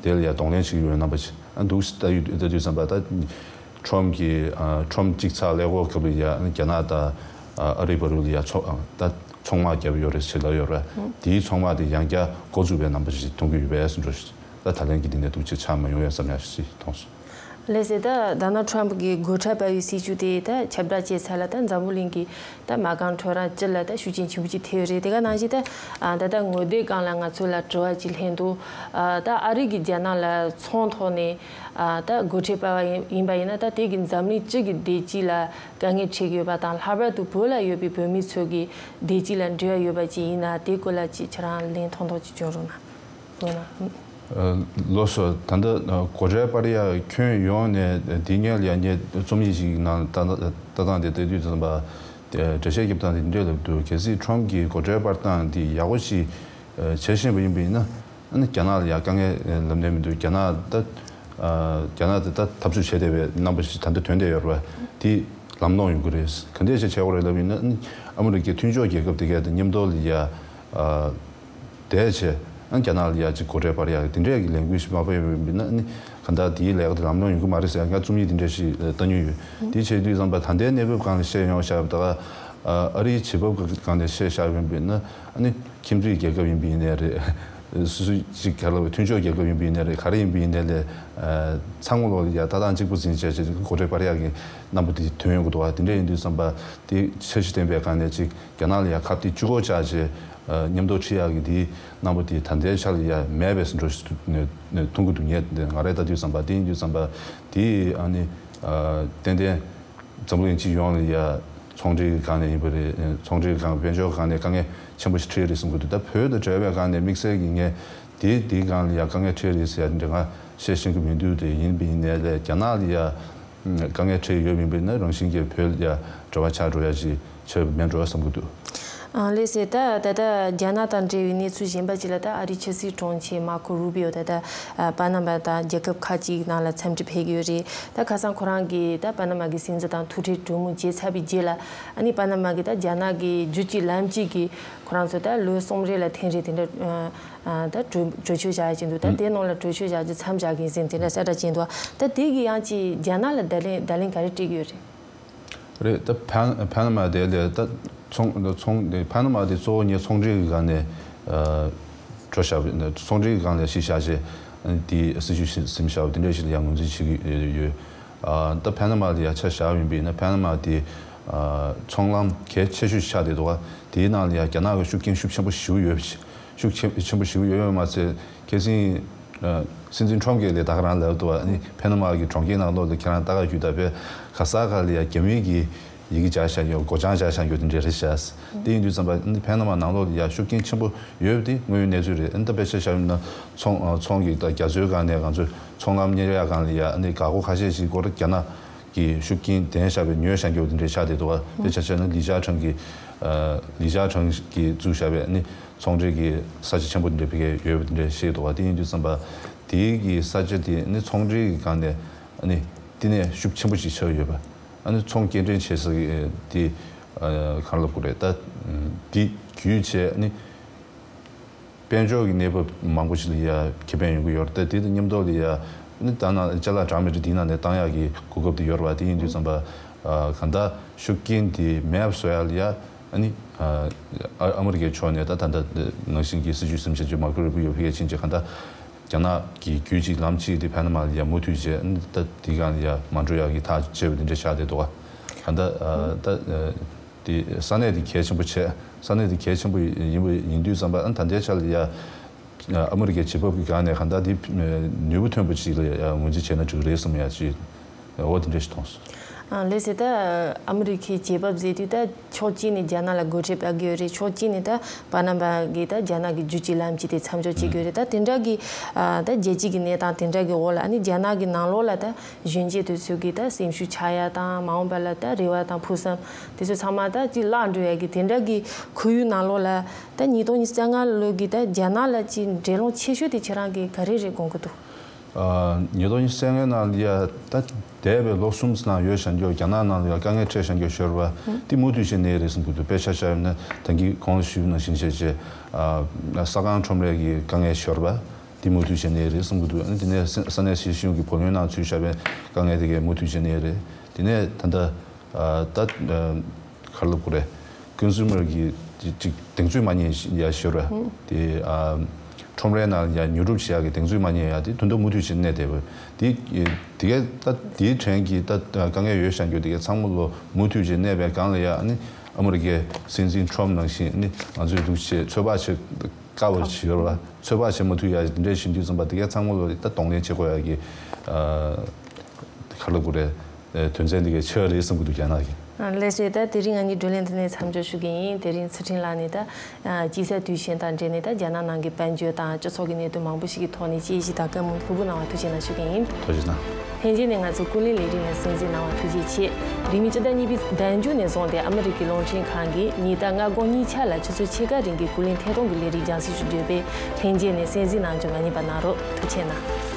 དེ་ལ་ཡང་གདོང་ལེན་བྱེད་ཀྱི་ཡོད་རྣམ་པ་ཅིག་ཨ་འདུག་ལྟ་ཡུལ་ལྟ་དུས་ཙམ་པ་ད་ཁྲོམ་གྱི་ཨ་ཁྲོམ་གཅིག་ཚགས་ཀླད་ཀོར་སྐབས་ལ་ཡང་རྒྱ་ནག་དང་ཨ་རི་བར་དུ་ལ་ཡང་ཚོ་ཨ་ད་ཚོང་དམག་བརྒྱབ་ཡོད་རེད་ཟེར་ལབ་ཡོད་རེད། དེའི་ཚོང་དམག་དེ་ཡང་བསྐྱར་འགོ་བཙུགས་པའི་རྣམ་པ་ཞིག་མཐོང་གི་ཡོད་པས་སུ་འགྲོ་ཞིག་ད་ད་ལན་གྱི་འདི་ནས་འདུག་ཅིག་ཆགས་མ་ཡོང་ཡ་བསམ་ཡ་ཞིག་མཐོང་སོང་། ལགས་སོ། ད་ཌོ་ནལ་ཊམ་གྱི་སྒོ་ཁྲལ་སྤར་བའི་སྲིད་ཇུས་དེ་ད་ཁྱབ་བསྒྲགས་བྱས་ཚར་ལ་ད་འཛམ་བུ་གླིང་གི་ད་མ་རྐང་ཁྲོད་རང་སྤྱི་ལ་ད་ཤུགས་རྐྱེན་ཆེན་པོ་ཅིག་ཐེབས་ཡོད་རེད། དེ་ག་ནང་བཞིན་ད་ཨ་ད་ལྟ་ངོ་དེབ་སྒང་ལ་ང་ཚོ་ལ་དྲི་བ་ཅིག་སླེབས་འདུག་ཨ་ད་ཨ་རི་གིས་རྒྱ་ནག་ལ་ཚོང་ཐོག་ནས་ཨ་ད་སྒོ་ཁྲལ་སྤར་བ་ཡིན་ཡིན་པ་ཡིན་ན་ད་དེ་གིས་འཛམ་གླིང་སྤྱི་གི་བདེ་སྐྱིད་ལ་དཀའ་ངལ་འཕྲད་ཀྱི་ཡོད་པ་དང་། ལྷག་པར་དུ་བོད་ལ་ཡོད་པའི་བོད་མི་ཚོ་གི་བདེ་སྐྱིད་ལ་འབྲེལ་བ་ཡོད་པ་ཅིག་ཡིན་ན་དེ་སྐོར་ལ་ཅིག་ཁྱེད་རང་ལན་ཐོག་ཐོག་ཅིག་བསྐྱོན་རོགས་གནང་། དགོངས་དག་ལགས་སོ། ད་ལྟ་སྒོ་ཁྲལ་སྤར་ཡག་ཁྱོན་ཡོངས་ནས་འདི་སྔོན་ལ་ཡང་ངས་རྩོམ་ཡིག་ཅིག་ནང་ལ་ལྟ་ལྟ་སྟངས་དེ་ལྟ་དུས་ཙམ་པ། འགྲེལ་བཤད་རྒྱབ་སྟངས་དེ་འདི་འདྲ་ལབ་འདུག་གལ་སྲིད་ཁྲོམ་གྱི་སྒོ་ཁྲལ་སྤར་སྟངས་འདི་ཡག་པོ་ཞིག་བྱེད་བཞིན་པ་ཡིན་པ་ཡིན་ན། ཨ་ནི་རྒྱ་ནག་ལ་ཡང་དཀའ་ངལ་ལབ་ནས་མི་འདུག་རྒྱ་ནག་ད་རྒྱ་ནག་དེ་ད་འཐབ་རྩོད་བྱས་བསྡད་པའི་རྣམ་པ་ཞིག་ད་ལྟ་ཐོན་བསྡད་ཡོད་རེད་པ། དེ་ལམ་ལྷོང་ཡོང་གི་རེད། ག་འདྲས་ཞིག་བྱེད་དགོས་རེད་ལབ་ཡིན་ན། ཨ་ནི་ཨ་མི་རི་ཀའི་མཐུན་ཕྱོགས་རྒྱལ་ཁབ་དེ་གས་དང་མཉམ་དུ་ལ་ཡ། བསྡད་བྱས། ཨ་རྒྱ་ནག་ལ་ཡ་ཅིག་སྒོ་ཁྲལ་སྤར་ཡག་དེ་འདྲས་ཀྱི་ལས་འགུལ་ཞིག་མ་སྤེལ་བ་ཡིན་ན། ཨ་ནི་གང་ལྟར་དེའི་ལས་ཀ་དེ་ལམ་ལྷོང་ཡོང་གི་མ་རེད་ཟེར་ཡག་ང་རྩོམ་ཡིག་དེ་འདྲས་ཞིག་ལྟ་མྱོང་ཡོད། དེ་བྱེད་དུས་ཙམ་པ་ད་ལྟའི་གནས་བབ་སྒང་ལ་བཤད་ཡོང་བཞག་པ་ད་ག་ཨ་རིའི་བྱེད་བབ་སྒང་ལ་བཤད་བཞག་ཡོད་པ་ཡིན་ན། ཨ་ནི་ཁྱིམ་མཚེས་རྒྱལ་ཁབ་ཡིན་པ་ཡིན་ནའི་རེད། སུ་སུ་ཅིག་ག་ལ་བའི་མཐུན་ཕྱོགས་རྒྱལ་ཁབ་ཡིན་པ་ཡིན་ནའི་རེད། ག་རེ་ཡིན་པ་ཡིན་ནའི་ལས། ཚང་མ་ལོག་ལ་ཡ་ལྟ་སྟངས་གཅིག་པ་འཛིན་བྱས་བྱས་སྒོ་ཁྲལ་སྤར་ཡག་གི་རྣམ་པ་དེ་ཐོན་ཡོང་གི་འདུག་བ། དེ་འདྲ་ཡིན་དུས་ཙམ་པ་དེ་འཆར་གཞི་ལྡན་པའི་སྒང་ནས་ཅིག་རྒྱ་ནག་ལ་ཡ་ཁ་གཏད་གཅིག་པོ་བཅག་བྱས། མཉམ་དུ་ཁྲིད་ཡག་གི་དེའི་རྣམ་པ་དེ་ད་ལྟའི་ཆ་ལ་ཡ་མེད་པའི་ཟིན་འགྲོ་ཞིག་མཐོང་གི་འདུག་ངས་ང་རས་ལྟ་དུས་ཙམ་པ། དེ་ཡིན་དུས་ཙམ་པ་དེ་ཨ་ནི་ཏན་ཏན་འཛམ་གླིང་སྤྱི་ཡོངས་ལ་ཡ་ཚོང་འབྲེལ་གྱི་སྒང་ནས་ཡིན་པ་རེད། ཚོང་འབྲེལ་གྱི་སྒང་དཔལ་འབྱོར་སྒང་ནས་དཀའ་ངལ་ཆེན་པོ་ཞིག་འཕྲད་རེད་བསམ་གྱི་འདུག་ད་བོད་དང་འབྲེལ་བའི་སྒང་ནས་དམིགས་བསལ་གྱི་ངས་དེ་དེའི་སྒང་ལ་ཡ་དཀའ་ངལ་འཕྲད་རེད་ཟེར་ཡ་འདྲ་ང་བཤད་ཤེས་ཀྱི་མི་འདུག་དེ་ཡིན་པ་ཡིན་ནའི་ལས་རྒྱ་ནག་ལ་ཡ་དཀའ་ངལ་འཕྲད་ཡོད་མིན་པ་ཡིན་ན། རང་བཞིན་གྱིས་བོད་ལ་ཡ་འབྲེལ་བ་ཆགས་འགྲོ་ཡ་ཞིག་ཆགས་མེད་འགྲོ་བསམ་གྱི་འདུག་ཨང་། ལགས་སེ། ད་ད་ལྟ་རྒྱ་ནག་དང་འབྲེལ་བའི་གནས་ཚུལ་གཞན་པ་ཅིག་ལ། ད་ཨ་རིའི་ཕྱི་སྲིད་དྲུང་ཆེ་མར་ཁོ་རུ་བི་ཡོ་ད་ལྟ་པ་ན་མ་དང་རྒྱལ་ཁབ་ཁག་ཅིག་ནང་ལ་འཚམས་འདྲི་ཕེབས་ཀྱི་ཡོད་རེད། ད་ཁ་སང་ཁོ་རང་གིས་ད་པ་ན་མ་གི་སྲིད་འཛིན་དང་ཐུག་འཕྲད་གྲོས་མོལ་བྱས་ཚར་བའི་རྗེས་ལ། ཨ་ནི་པ་ན་མ་གིས་ད་རྒྱ་ནག་གི་རྒྱུད་གཅིག་ལམ་གཅིག་གི་ཁོ་རང་ཚོ་ད་ལོ་གསུམ་རེ་ལ་ཐེངས་རེ་དེ་འདྲ་ད་གྲོས་གྲོས་ཆོད་བཞག་ཡ་ཅིག་འདུག་ད་དེ་ནང་ལ་གྲོས་ཆོད་བཞག་རྒྱུ་མཚམས་བཞག་གི་ཡིན་ཟེར་དེ་འདྲ་གསལ་བསྒྲགས་བྱས་འདུག་ད་དེ་གི་ཡང་ཅིག་རྒྱ་ནག་ལ་བརྡ་ལན་བརྡ་ལན་ག་རེ་སྤྲད་ཀྱི་ཡོད་རེད། རེད། ད་པ་པ་ན་མ་དེ་ལས་ད་ཚོང་ཚོང་པ་ན་མ་དེ་གཙོ་བོ་ངས་ཚོང་འབྲེལ་གྱི་སྒང་ནས་འགྲོ་བཞག་པ། ཚོང་འབྲེལ་གྱི་སྒང་ནས་གཞི་བཞག་བྱས་དེ་སྲིད་ཇུས་ཟིན་བཞག་པ་དེ་འདྲ་ཞིག་ལ་ཡང་ངོས་འཛིན་བྱེད་ཀྱི་ཡོད། ད་པ་ན་མ་ལ་ཡ་ཆ་བཞག་ཡིན་པ་ཡིན་ན། པ་ན་མ་དེ་ཚོང་ལམ་གལ་ཆེ་ཤོས་ཆགས་བསྡད་འདུག་དེའི་ནང་ལ་ཡ་རྒྱ་ནག་གི་ཤུགས་རྐྱེན་ཤུགས་ཆེན་པོ་ཞེ་པོ་ཡོད། ཤུགས་ཆེ་ཆེན་པོ་ཞེ་པོ་ཡོད་པ་མ་ཚད། ཁ་སང་སྲིད་འཛིན་ཁྲོམ་གྱིས་ལས་ད་ག་རང་ལབ་འདུག་ཨ་ནི་པ་ན་མ་གི་གྲོང་ཁྱེར་ནང་ལོགས་ལ་ཁྱེད་རང་ལྟ་ག་རྒྱུགས་ད་དཔེ་ག་ས་ག་ལ་ཡ་རྒྱ་མིའི་གི་ཡི་གེ་སྦྱར་བཞག་ཡོད། མགོ་བྱང་སྦྱར་བཞག་ཡོད། དེ་འདྲ་རེད་ཤག་དེ་ཡིན་དུས་ཙམ་པ་ཨ་ནི་པ་ན་མ་ནང་ལོགས་ལ་ཡ་ཤུགས་རྐྱེན་ཆེན་པོ་ཡོད་པ་དེ་དངོས་ཡོད་གནས་ཚུལ་རེད། ཨ་ནི་ད་དཔེ་ཆ་བཞག་ཡིན་ན་ཚོང་ཚོང་གི་ད་རྒྱ་མཚོའི་སྒང་ནས་ང་ཚོའི་ཚོང་ལམ་གཉེར་ཡག་སྒང་ལ་ཡ་ཨ་ནི་འགག་སྒོ་ཁ་ཤས་ཤིག་སྐོར་རྒྱ་ནག་གི་ཤུགས་རྐྱེན་ལྡན་བཞག་པའི་ཉོས་བཞག་རྒྱུ་དེ་འདྲའི་ཆགས་བསྡད་འདུག་དཔེ་ཆ་བཞག་ན་ལི་ཅཱ་ཁྲང་གི་ལི་ཅཱ་ཁྲང་གིས་བཙུགས་བཞག་པའི་ཨ་ནི་ཚོང་འབྲེལ་གྱི་ས་ཆ་ཆེན་པོ་དེ་འདྲ་ཕ་གིར་ཡོད་པ་དེ་འདྲ་བཤད་འདུག་དེ་ཡིན་དུས་ཙམ་པ་དེའི་གི་ས་ཆ་དེ་ཨ་ནི་ཚོང་འབྲེལ་གྱི་སྒང་ནས་ཨ་ནི་བསྟི་གནས་ཤུགས་ཆེན་པོ་ཞིག་ཆགས་ཡོད་པ། ཨ་ནི་ཚོང་སྐྱེལ་འདྲེན་བྱེད་ས་གི་དེ་གང་ལབ་དགོས་རེད། ད་དེ་བརྒྱུད་བྱས་ཨ་ནི། དཔལ་འབྱོར་གྱི་གནས་བབ་མང་པོ་ཞིག་ལ་ཡ་ཁེ་ཕན་ཡོང་གི་ཡོད་རེད། དེ་དང་མཉམ་དུ་ལ་ཡ་ནི་ད་ནང་ཅ་ལག་འདྲ་མི་འདྲ་དེའི་ནང་ནས་བཏང་ཡག་གི་གོ་སྐབས་དེ་ཡོད་རེད་པ། དེ་ཡིན་དུས་ཙམ་པ་གང་ལྟར་ཤུགས་རྐྱེན་དེ་མེད་པ་བཟོ་ཡག་ལ་ཡ་ཨ་ནི་ཨ་མི་རི་ཀའི་ཕྱོགས་ནས་ད་ད་ལྟ་ནང་བཞིན་གྱི་སྲིད་ཇུས་ཟིན་བྱས་རྒྱུ་མར་ཁོ་རུ་བི་ཡོ་ཕ་གིར་ཕྱིན་རྗེས་གང་ལྟར་རྒྱ་ནག་གི་རྒྱུད་གཅིག་ལམ་གཅིག་དེ་པ་ན་མ་ལ་ཡ་མུ་མཐུད་བྱས་ཨ་ནི་ད་དེའི་སྒང་ལ་ཡ་མ་འགྲོ་ཡག་གི་ཐག་བཅད་པ་དེ་འདྲ་ཆགས་བསྡད་འདུག་ག་གང་ལྟར་ད། དེ་ས་གནས་དེ་གལ་ཆེན་པོ་བྱས། ས་གནས་དེ་གལ་ཆེན་པོ་ཡིན་པ་ཡིན་དུས་ཙམ་པ་ཨ་ད་ལྟའི་ཆ་ལ་ཡ་ཨ་མི་རི་ཀའི་བྱེད་བབ་ཀྱི་སྒང་ནས་གང་ལྟར་དེ་ནུས་པ་ཐོན་པོ་ཅིག་ལ་ཡ་ངོས་འཛིན་བྱས་ན་འགྲིག་གི་རེད་བསམ་ཡ་ཅིག་འོ་དེ་འདྲ་ཞིག་མཐོང་སོང་། ཨ་ལགས་སེ། ད་ཨ་མི་རི་ཀའི་བྱེད་བབ་ཟེར་དུས་ད་ཕྱོགས་གཅིག་ནས་རྒྱ་ནག་ལ་སྒོ་ཁྲལ་སྤར་གྱི་ཡོད་རེད། ཕྱོགས་གཅིག་ནས་ད་པ་ན་མ་གི་ད་རྒྱ་ནག་གི་རྒྱུད་གཅིག་ལམ་གཅིག་དེ་མཚམས་འཇོག་བྱེད་ཀྱི་ཡོད་རེད། ད་དེ་འདྲ་གི་ད་རྒྱལ་སྤྱི་གི་གནས་སྟངས་དེ་འདྲ་གི་འོག་ལ་ཨ་ནི་རྒྱ་ནག་གི་ནང་ལོགས་ལ་ད་གཞོན་སྐྱེས་དེ་ཚོ་གི་ད་སེམས་ཤུགས་ཆག་ཡ་དང་། མ་འོངས་པ་ལ་ད་རེ་བ་དང་ཕུགས་བསམ་དེ་ཚོ་ཚང་མ་ད་ཅིག་བརླག་འགྲོ་ཡ་གི་དེ་འདྲ་གི་ཁོར་ཡུག་ནང་ལོགས་ལ་ད་ཉིས་སྟོང་ཉི་ཤུ་རྩ་ལྔ་ལོ་གི་ད་རྒྱ་ནག་ལ་ཅིག་འགྲན་སློང་ཆེ་ཤོས་དེ་ཁྱེད་རང་གིས་ག་རེ་རེད་དགོངས་ཀྱི་འདུག་ཉིས་སྟོང་ཉི་ཤུ་རྩ་ལྔའི་ནང་ལ་ཡ་ད་འདས་པའི་ལོ་གསུམ་ཙམ་ནང་ཡོད་བཞག་རྒྱུ་རྒྱ་ནག་ནང་ལ་ཡ་དཀའ་ངལ་འཕྲད་བཞག་རྒྱུ་ཤོར་བ་དེ་མུ་མཐུད་བྱས་ནས་རེད་བསམ་གྱི་འདུག་དཔེ་ཆ་བཞག་ཡོད་ན་ད་གིན་གོང་ལ་ཞུས་པ་ནང་བཞིན་བྱས་བྱས་ས་ཁང་ཁྲོམ་རའི་གི་དཀའ་ངལ་ཤོར་བ། དེ་མུ་མཐུད་བྱས་ནས་རེད་བསམ་གྱི་འདུག་ཨ་ནི་དེ་ནས་ས་ས་གནས་སྲིད་གཞུང་གི་བུ་ལོན་ནང་ཚུད་བཞག་པའི་དཀའ་ངལ་དེ་གས་མུ་མཐུད་བྱས་ནས་རེད། དེ་ནས་ད་ལྟ་ད་ག་རེ་ལབ་དགོས་རེད། ཀོན་སུ་མར་གྱི་ཅིག་གདེང་ཚོད་མ་རྙེད་ཡ་ཤོར་བ་དེ། ཁྲོམ་རའི་ནང་ཡ་ཉོ་སྒྲུབ་བྱེད་ཡ་གི་གདེང་ཚོད་མ་རྙེད་ཡ་དེ་དོན་དུ་མུ་མཐུད་བྱས་གནས་བསྡད་པ་དེ། དེ་གས་ད་དེའི་དྲན་གྱི་ད་དཀའ་ངལ་ཡོད་བཞག་རྒྱུ་དེ་གས་ཚང་མ་ལོ་མུ་མཐུད་བྱས་གནས་པའི་སྒང་ལ་ཡ་ཨ་ནི་ཨ་མི་རི་ཀའི་སྲིད་འཛིན་ཁྲོམ་ནང་བཞིན་ཨ་ནི་ང་ཚོས་འདུག་བྱས་ཚོད་དཔག་བྱེད། དཀའ་བ་ཞིག་ཡོད་རེད་བ། ཚོད་དཔག་བྱེད་མ་ཐུབ་ཡ་འདི་འདྲས་ཞིག་དུས་ཙམ་པ་དེ་གའི་ཚང་མ་ལོ་ད་གདོང་ལེན་བྱེད་དགོས་ཡ་གི་ག་ལ་དགོས་རེད། དོན་ཚན་དེ་གའི་ཆེ་བ་རེད་བསམ་གི་འདུག་རྒྱ་ནག་གི། ལགས་སོ། ད་དེ་རིང་ང་གཉིས་བགྲོ་གླེང་འདི་ནས་མཚམས་འཇོག་ཞུ་གི་ཡིན། དེ་རིང་ཚུལ་ཁྲིམས་ལགས་ནས་ད་དཔྱིད་གསར་དུས་ཆེན་དང་འབྲེལ་ནས་ད་རྒྱ་ནག་ནང་གི་དཔལ་འབྱོར་དང་སྤྱི་ཚོགས་ཀྱི་གནད་དོན་མང་པོ་ཞིག་གི་ཐོག་ནས་དཔྱད་ཞིབ་དང་བཀའ་མོལ་ལྷུག་པོ་གནང་བ་ཐུགས་རྗེ་གནང་ཞུ་གི་ཡིན། ཐུགས་རྗེ་གནང་། ལྷན་རྒྱས་ནས་ང་ཚོའི་ཀུན་གླེང་ལས་རིམ་ལ་གསན་གཟིགས་གནང་བ་ཐུགས་རྗེ་ཆེ། རིང་མིན་སྤྱི་ཟླ་གཉིས་པའི་ཟླ་མཇུག་ནས་བཟུང་སྟེ་ཨ་མི་རི་ཀའི་རླུང་འཕྲིན་ཁང་གིས་ཉིན་ལྟར་སྔ་དགོང་ཉིན་ཆ་ལ་ཆུ་ཚོད་ཕྱེད་ཀ་རིང་གི་ཀུན་གླེང་ཐད་གཏོང་གི་ལས་རིམ་རྒྱང་སྲིང་ཞུ་རྒྱུ་ཡོད་པས་ལྷན་རྒྱས་ནས་གསན་གཟིགས་གནང་རྒྱུ་མ་བསྙེལ་བ་གནང་རོགས། ཐུགས་རྗེ་གནང་།